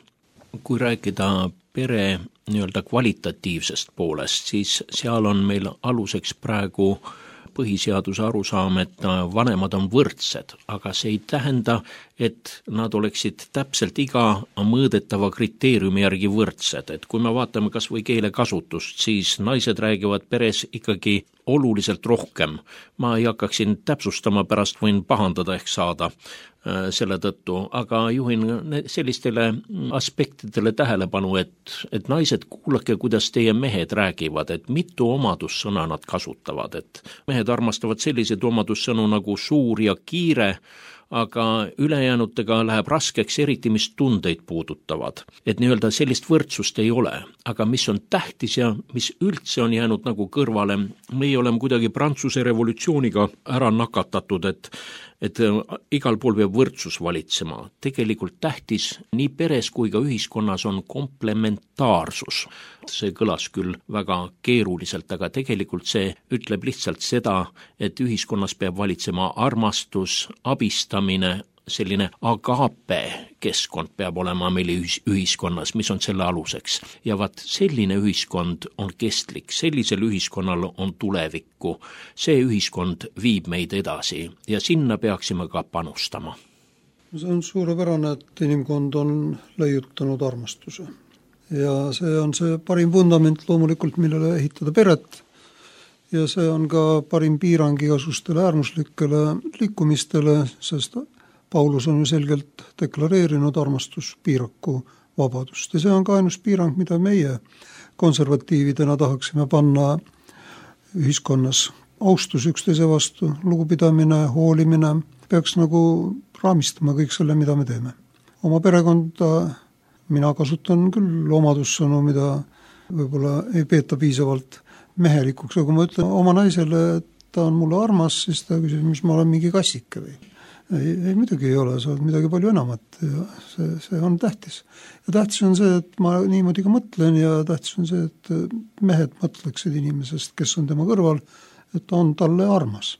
Kui rääkida pere nii-öelda kvalitatiivsest poolest, siis seal on meil aluseks praegu põhiseaduse arusaam, et vanemad on võrdsed, aga see ei tähenda, et nad oleksid täpselt iga mõõdetava kriteeriumi järgi võrdsed. Et kui me vaatame kas või keelekasutust, siis naised räägivad peres ikkagi oluliselt rohkem. Ma ei hakkaksin täpsustama, pärast võin pahandada ehk saada selle tõttu, aga juhin sellistele aspektidele tähelepanu, et, et naised, kuulake, kuidas teie mehed räägivad, et mitu omadussõna nad kasutavad, et mehed armastavad selliseid omadussõnu nagu suur ja kiire, aga ülejäänutega läheb raskeks, eriti mis tundeid puudutavad. Et nii-öelda sellist võrdsust ei ole, aga mis on tähtis ja mis üldse on jäänud nagu kõrvale, meie oleme kuidagi Prantsuse revolutsiooniga ära nakatatud, et et igal pool peab võrdsus valitsema. Tegelikult tähtis nii peres kui ka ühiskonnas on komplementaarsus. See kõlas küll väga keeruliselt, aga tegelikult see ütleb lihtsalt seda, et ühiskonnas peab valitsema armastus, abistamine, selline agape keskkond peab olema meil ühiskonnas, mis on selle aluseks. Ja vaat selline ühiskond on kestlik, sellisel ühiskonnal on tulevikku. See ühiskond viib meid edasi ja sinna peaksime ka panustama. See on suurepärane, et inimkond on leiutanud armastuse. Ja see on see parim vundament loomulikult, millele ehitada peret. Ja see on ka parim piirang igasugustele äärmuslikele liikumistele, sest Paulus on ju selgelt deklareerinud armastuspiiraku vabadust ja see on ka ainus piirang, mida meie konservatiividena tahaksime panna ühiskonnas. Austus üksteise vastu, lugupidamine, hoolimine peaks nagu raamistama kõik selle, mida me teeme. Oma perekonda mina kasutan küll omadussõnu, mida võib-olla ei peeta piisavalt mehelikuks, aga kui ma ütlen oma naisele, et ta on mulle armas, siis ta küsib, mis ma olen mingi kassike või. Ei, ei midagi ei ole, sa oled midagi palju enamat ja see, see on tähtis. Ja tähtis on see, et ma niimoodi ka mõtlen ja tähtis on see, et mehed mõtleksid inimesest, kes on tema kõrval, et on talle armas.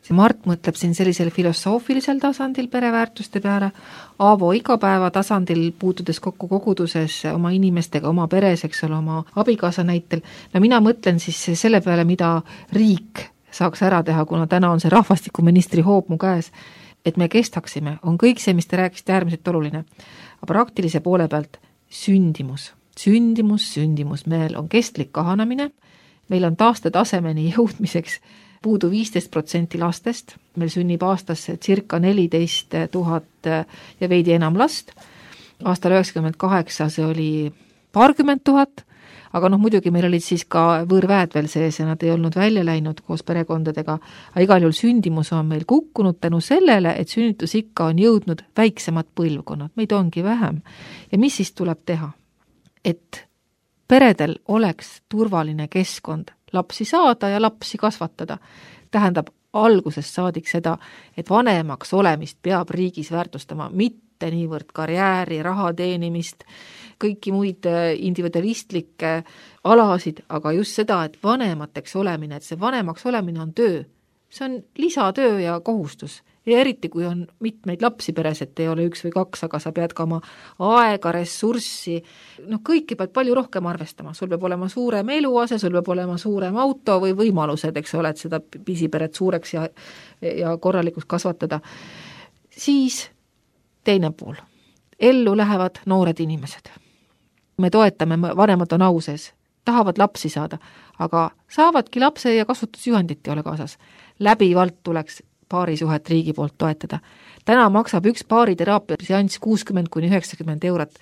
See Mart mõtleb siin sellisel filosoofilisel tasandil pereväärtuste peale, Aavo igapäeva tasandil puutudes kokku koguduses oma inimestega, oma peres, eks ole, oma abikaasa näitel. No mina mõtlen siis selle peale, mida riik saaks ära teha, kuna täna on see rahvastikuministri hoob mu käes, et me kestaksime, on kõik see, mis te rääkisite, äärmiselt oluline. Aga praktilise poole pealt sündimus, sündimus, sündimus, meil on kestlik kahanemine, meil on taastetasemeni jõudmiseks puudu viisteist protsenti lastest, meil sünnib aastas circa neliteist tuhat ja veidi enam last, aastal üheksakümmend kaheksa see oli paarkümmend tuhat, aga noh, muidugi meil olid siis ka võõrväed veel sees ja nad ei olnud välja läinud koos perekondadega, aga igal juhul sündimus on meil kukkunud tänu sellele, et sünnitusikka on jõudnud väiksemad põlvkonnad, meid ongi vähem. Ja mis siis tuleb teha? Et peredel oleks turvaline keskkond lapsi saada ja lapsi kasvatada. Tähendab algusest saadik seda, et vanemaks olemist peab riigis väärtustama, mitte niivõrd karjääri, raha teenimist, kõiki muid individualistlikke alasid, aga just seda, et vanemateks olemine, et see vanemaks olemine on töö. See on lisatöö ja kohustus. Ja eriti, kui on mitmeid lapsi peres, et ei ole üks või kaks, aga sa pead ka oma aega, ressurssi, noh, kõiki pead palju rohkem arvestama. Sul peab olema suurem eluase, sul peab olema suurem auto või võimalused, eks ole, et seda pisiperet suureks ja, ja korralikuks kasvatada. Siis teine pool. Ellu lähevad noored inimesed. Me toetame, vanemad on au sees, tahavad lapsi saada, aga saavadki lapse ja kasvatusjuhendit ei ole kaasas. Läbivalt tuleks paarisuhet riigi poolt toetada. Täna maksab üks paariteraapia seanss kuuskümmend kuni üheksakümmend eurot.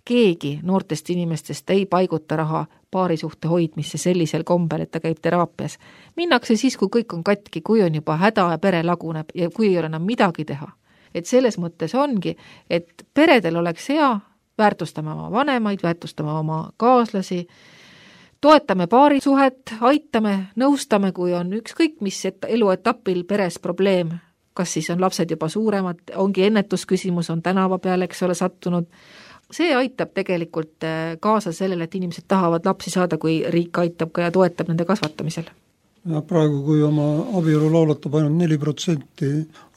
Keegi noortest inimestest ei paiguta raha paarisuhte hoidmisse sellisel kombel, et ta käib teraapias. Minnakse siis, kui kõik on katki, kui on juba häda ja pere laguneb ja kui ei ole enam midagi teha. Et selles mõttes ongi, et peredel oleks hea, väärtustame oma vanemaid, väärtustame oma kaaslasi, toetame paarisuhet, aitame, nõustame, kui on ükskõik, mis eluetapil peres probleem, kas siis on lapsed juba suuremad, ongi ennetusküsimus, on tänava peale, eks ole, sattunud. See aitab tegelikult kaasa sellele, et inimesed tahavad lapsi saada, kui riik aitab ka ja toetab nende kasvatamisel. Ja praegu, kui oma abielu laulatab ainult neli protsenti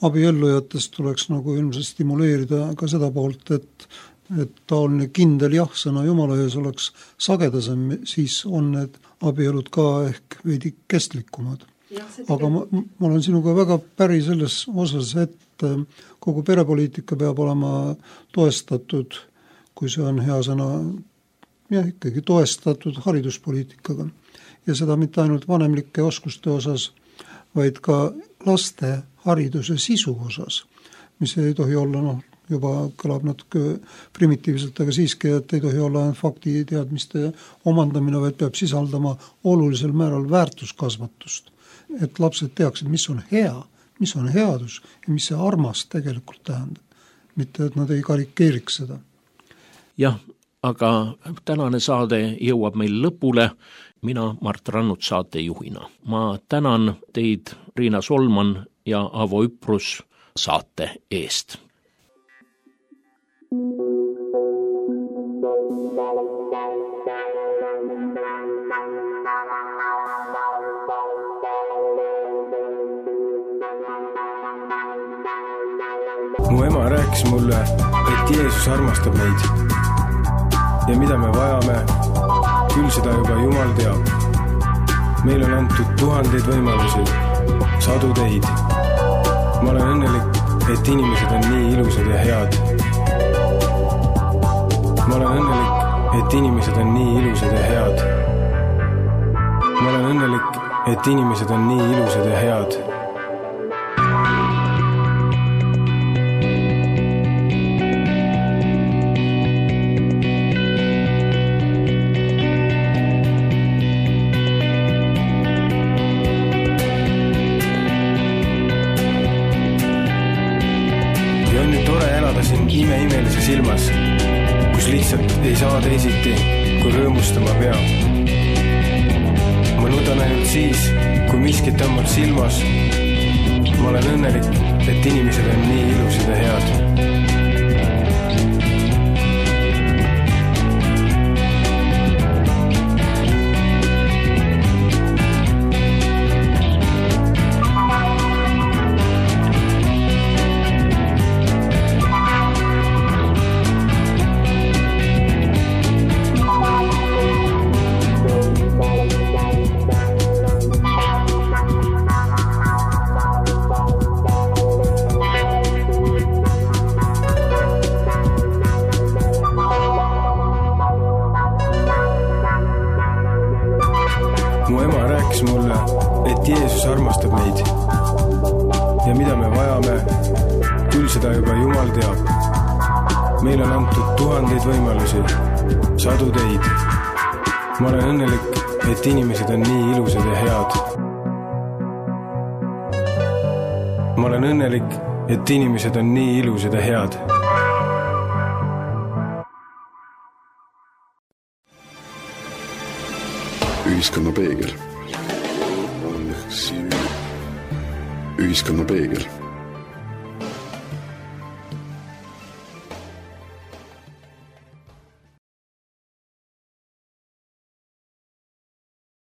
abiellujatest, tuleks nagu ilmselt stimuleerida ka seda poolt, et et taoline kindel jah-sõna Jumala ees oleks sagedasem, siis on need abielud ka ehk veidi kestlikumad. Aga ma, ma olen sinuga väga päri selles osas, et kogu perepoliitika peab olema toestatud, kui see on hea sõna, jah, ikkagi toestatud hariduspoliitikaga. Ja seda mitte ainult vanemlike oskuste osas, vaid ka laste hariduse sisu osas, mis ei tohi olla, noh, juba kõlab natuke primitiivselt, aga siiski, et ei tohi olla faktiteadmiste omandamine, vaid peab sisaldama olulisel määral väärtuskasvatust. Et lapsed teaksid, mis on hea, mis on headus ja mis see armas tegelikult tähendab. Mitte, et nad ei karikeeriks seda. Jah, aga tänane saade jõuab meil lõpule. Mina Mart Rannut saatejuhina. Ma tänan teid, Riina Solman ja Aavo Üprus saate eest. Mu ema rääkis mulle, et Jeesus armastab meid ja mida me vajame, küll seda juba Jumal teab. Meil on antud tuhandeid võimalusi, sadu teid. Ma olen õnnelik, et inimesed on nii ilusad ja head. Ma olen õnnelik, et inimesed on nii ilusad ja head. Ma olen õnnelik, et inimesed on nii ilusad ja head. Imeimelise silmas, kus lihtsalt ei saa teisiti, kui rõõmustama peab. Ma nudan ainult siis, kui miskit on mul silmas. Ma olen õnnelik, et inimesed on nii ilusad ja head. Mu ema rääkis mulle, et Jeesus armastab meid. Ja mida me vajame, küll seda juba Jumal teab. Meil on antud tuhandeid võimalusi, sadu teid. Ma olen õnnelik, et inimesed on nii ilusad ja head. Ma olen õnnelik, et inimesed on nii ilusad ja head. Ühiskonna peegel. Ühiskonna peegel.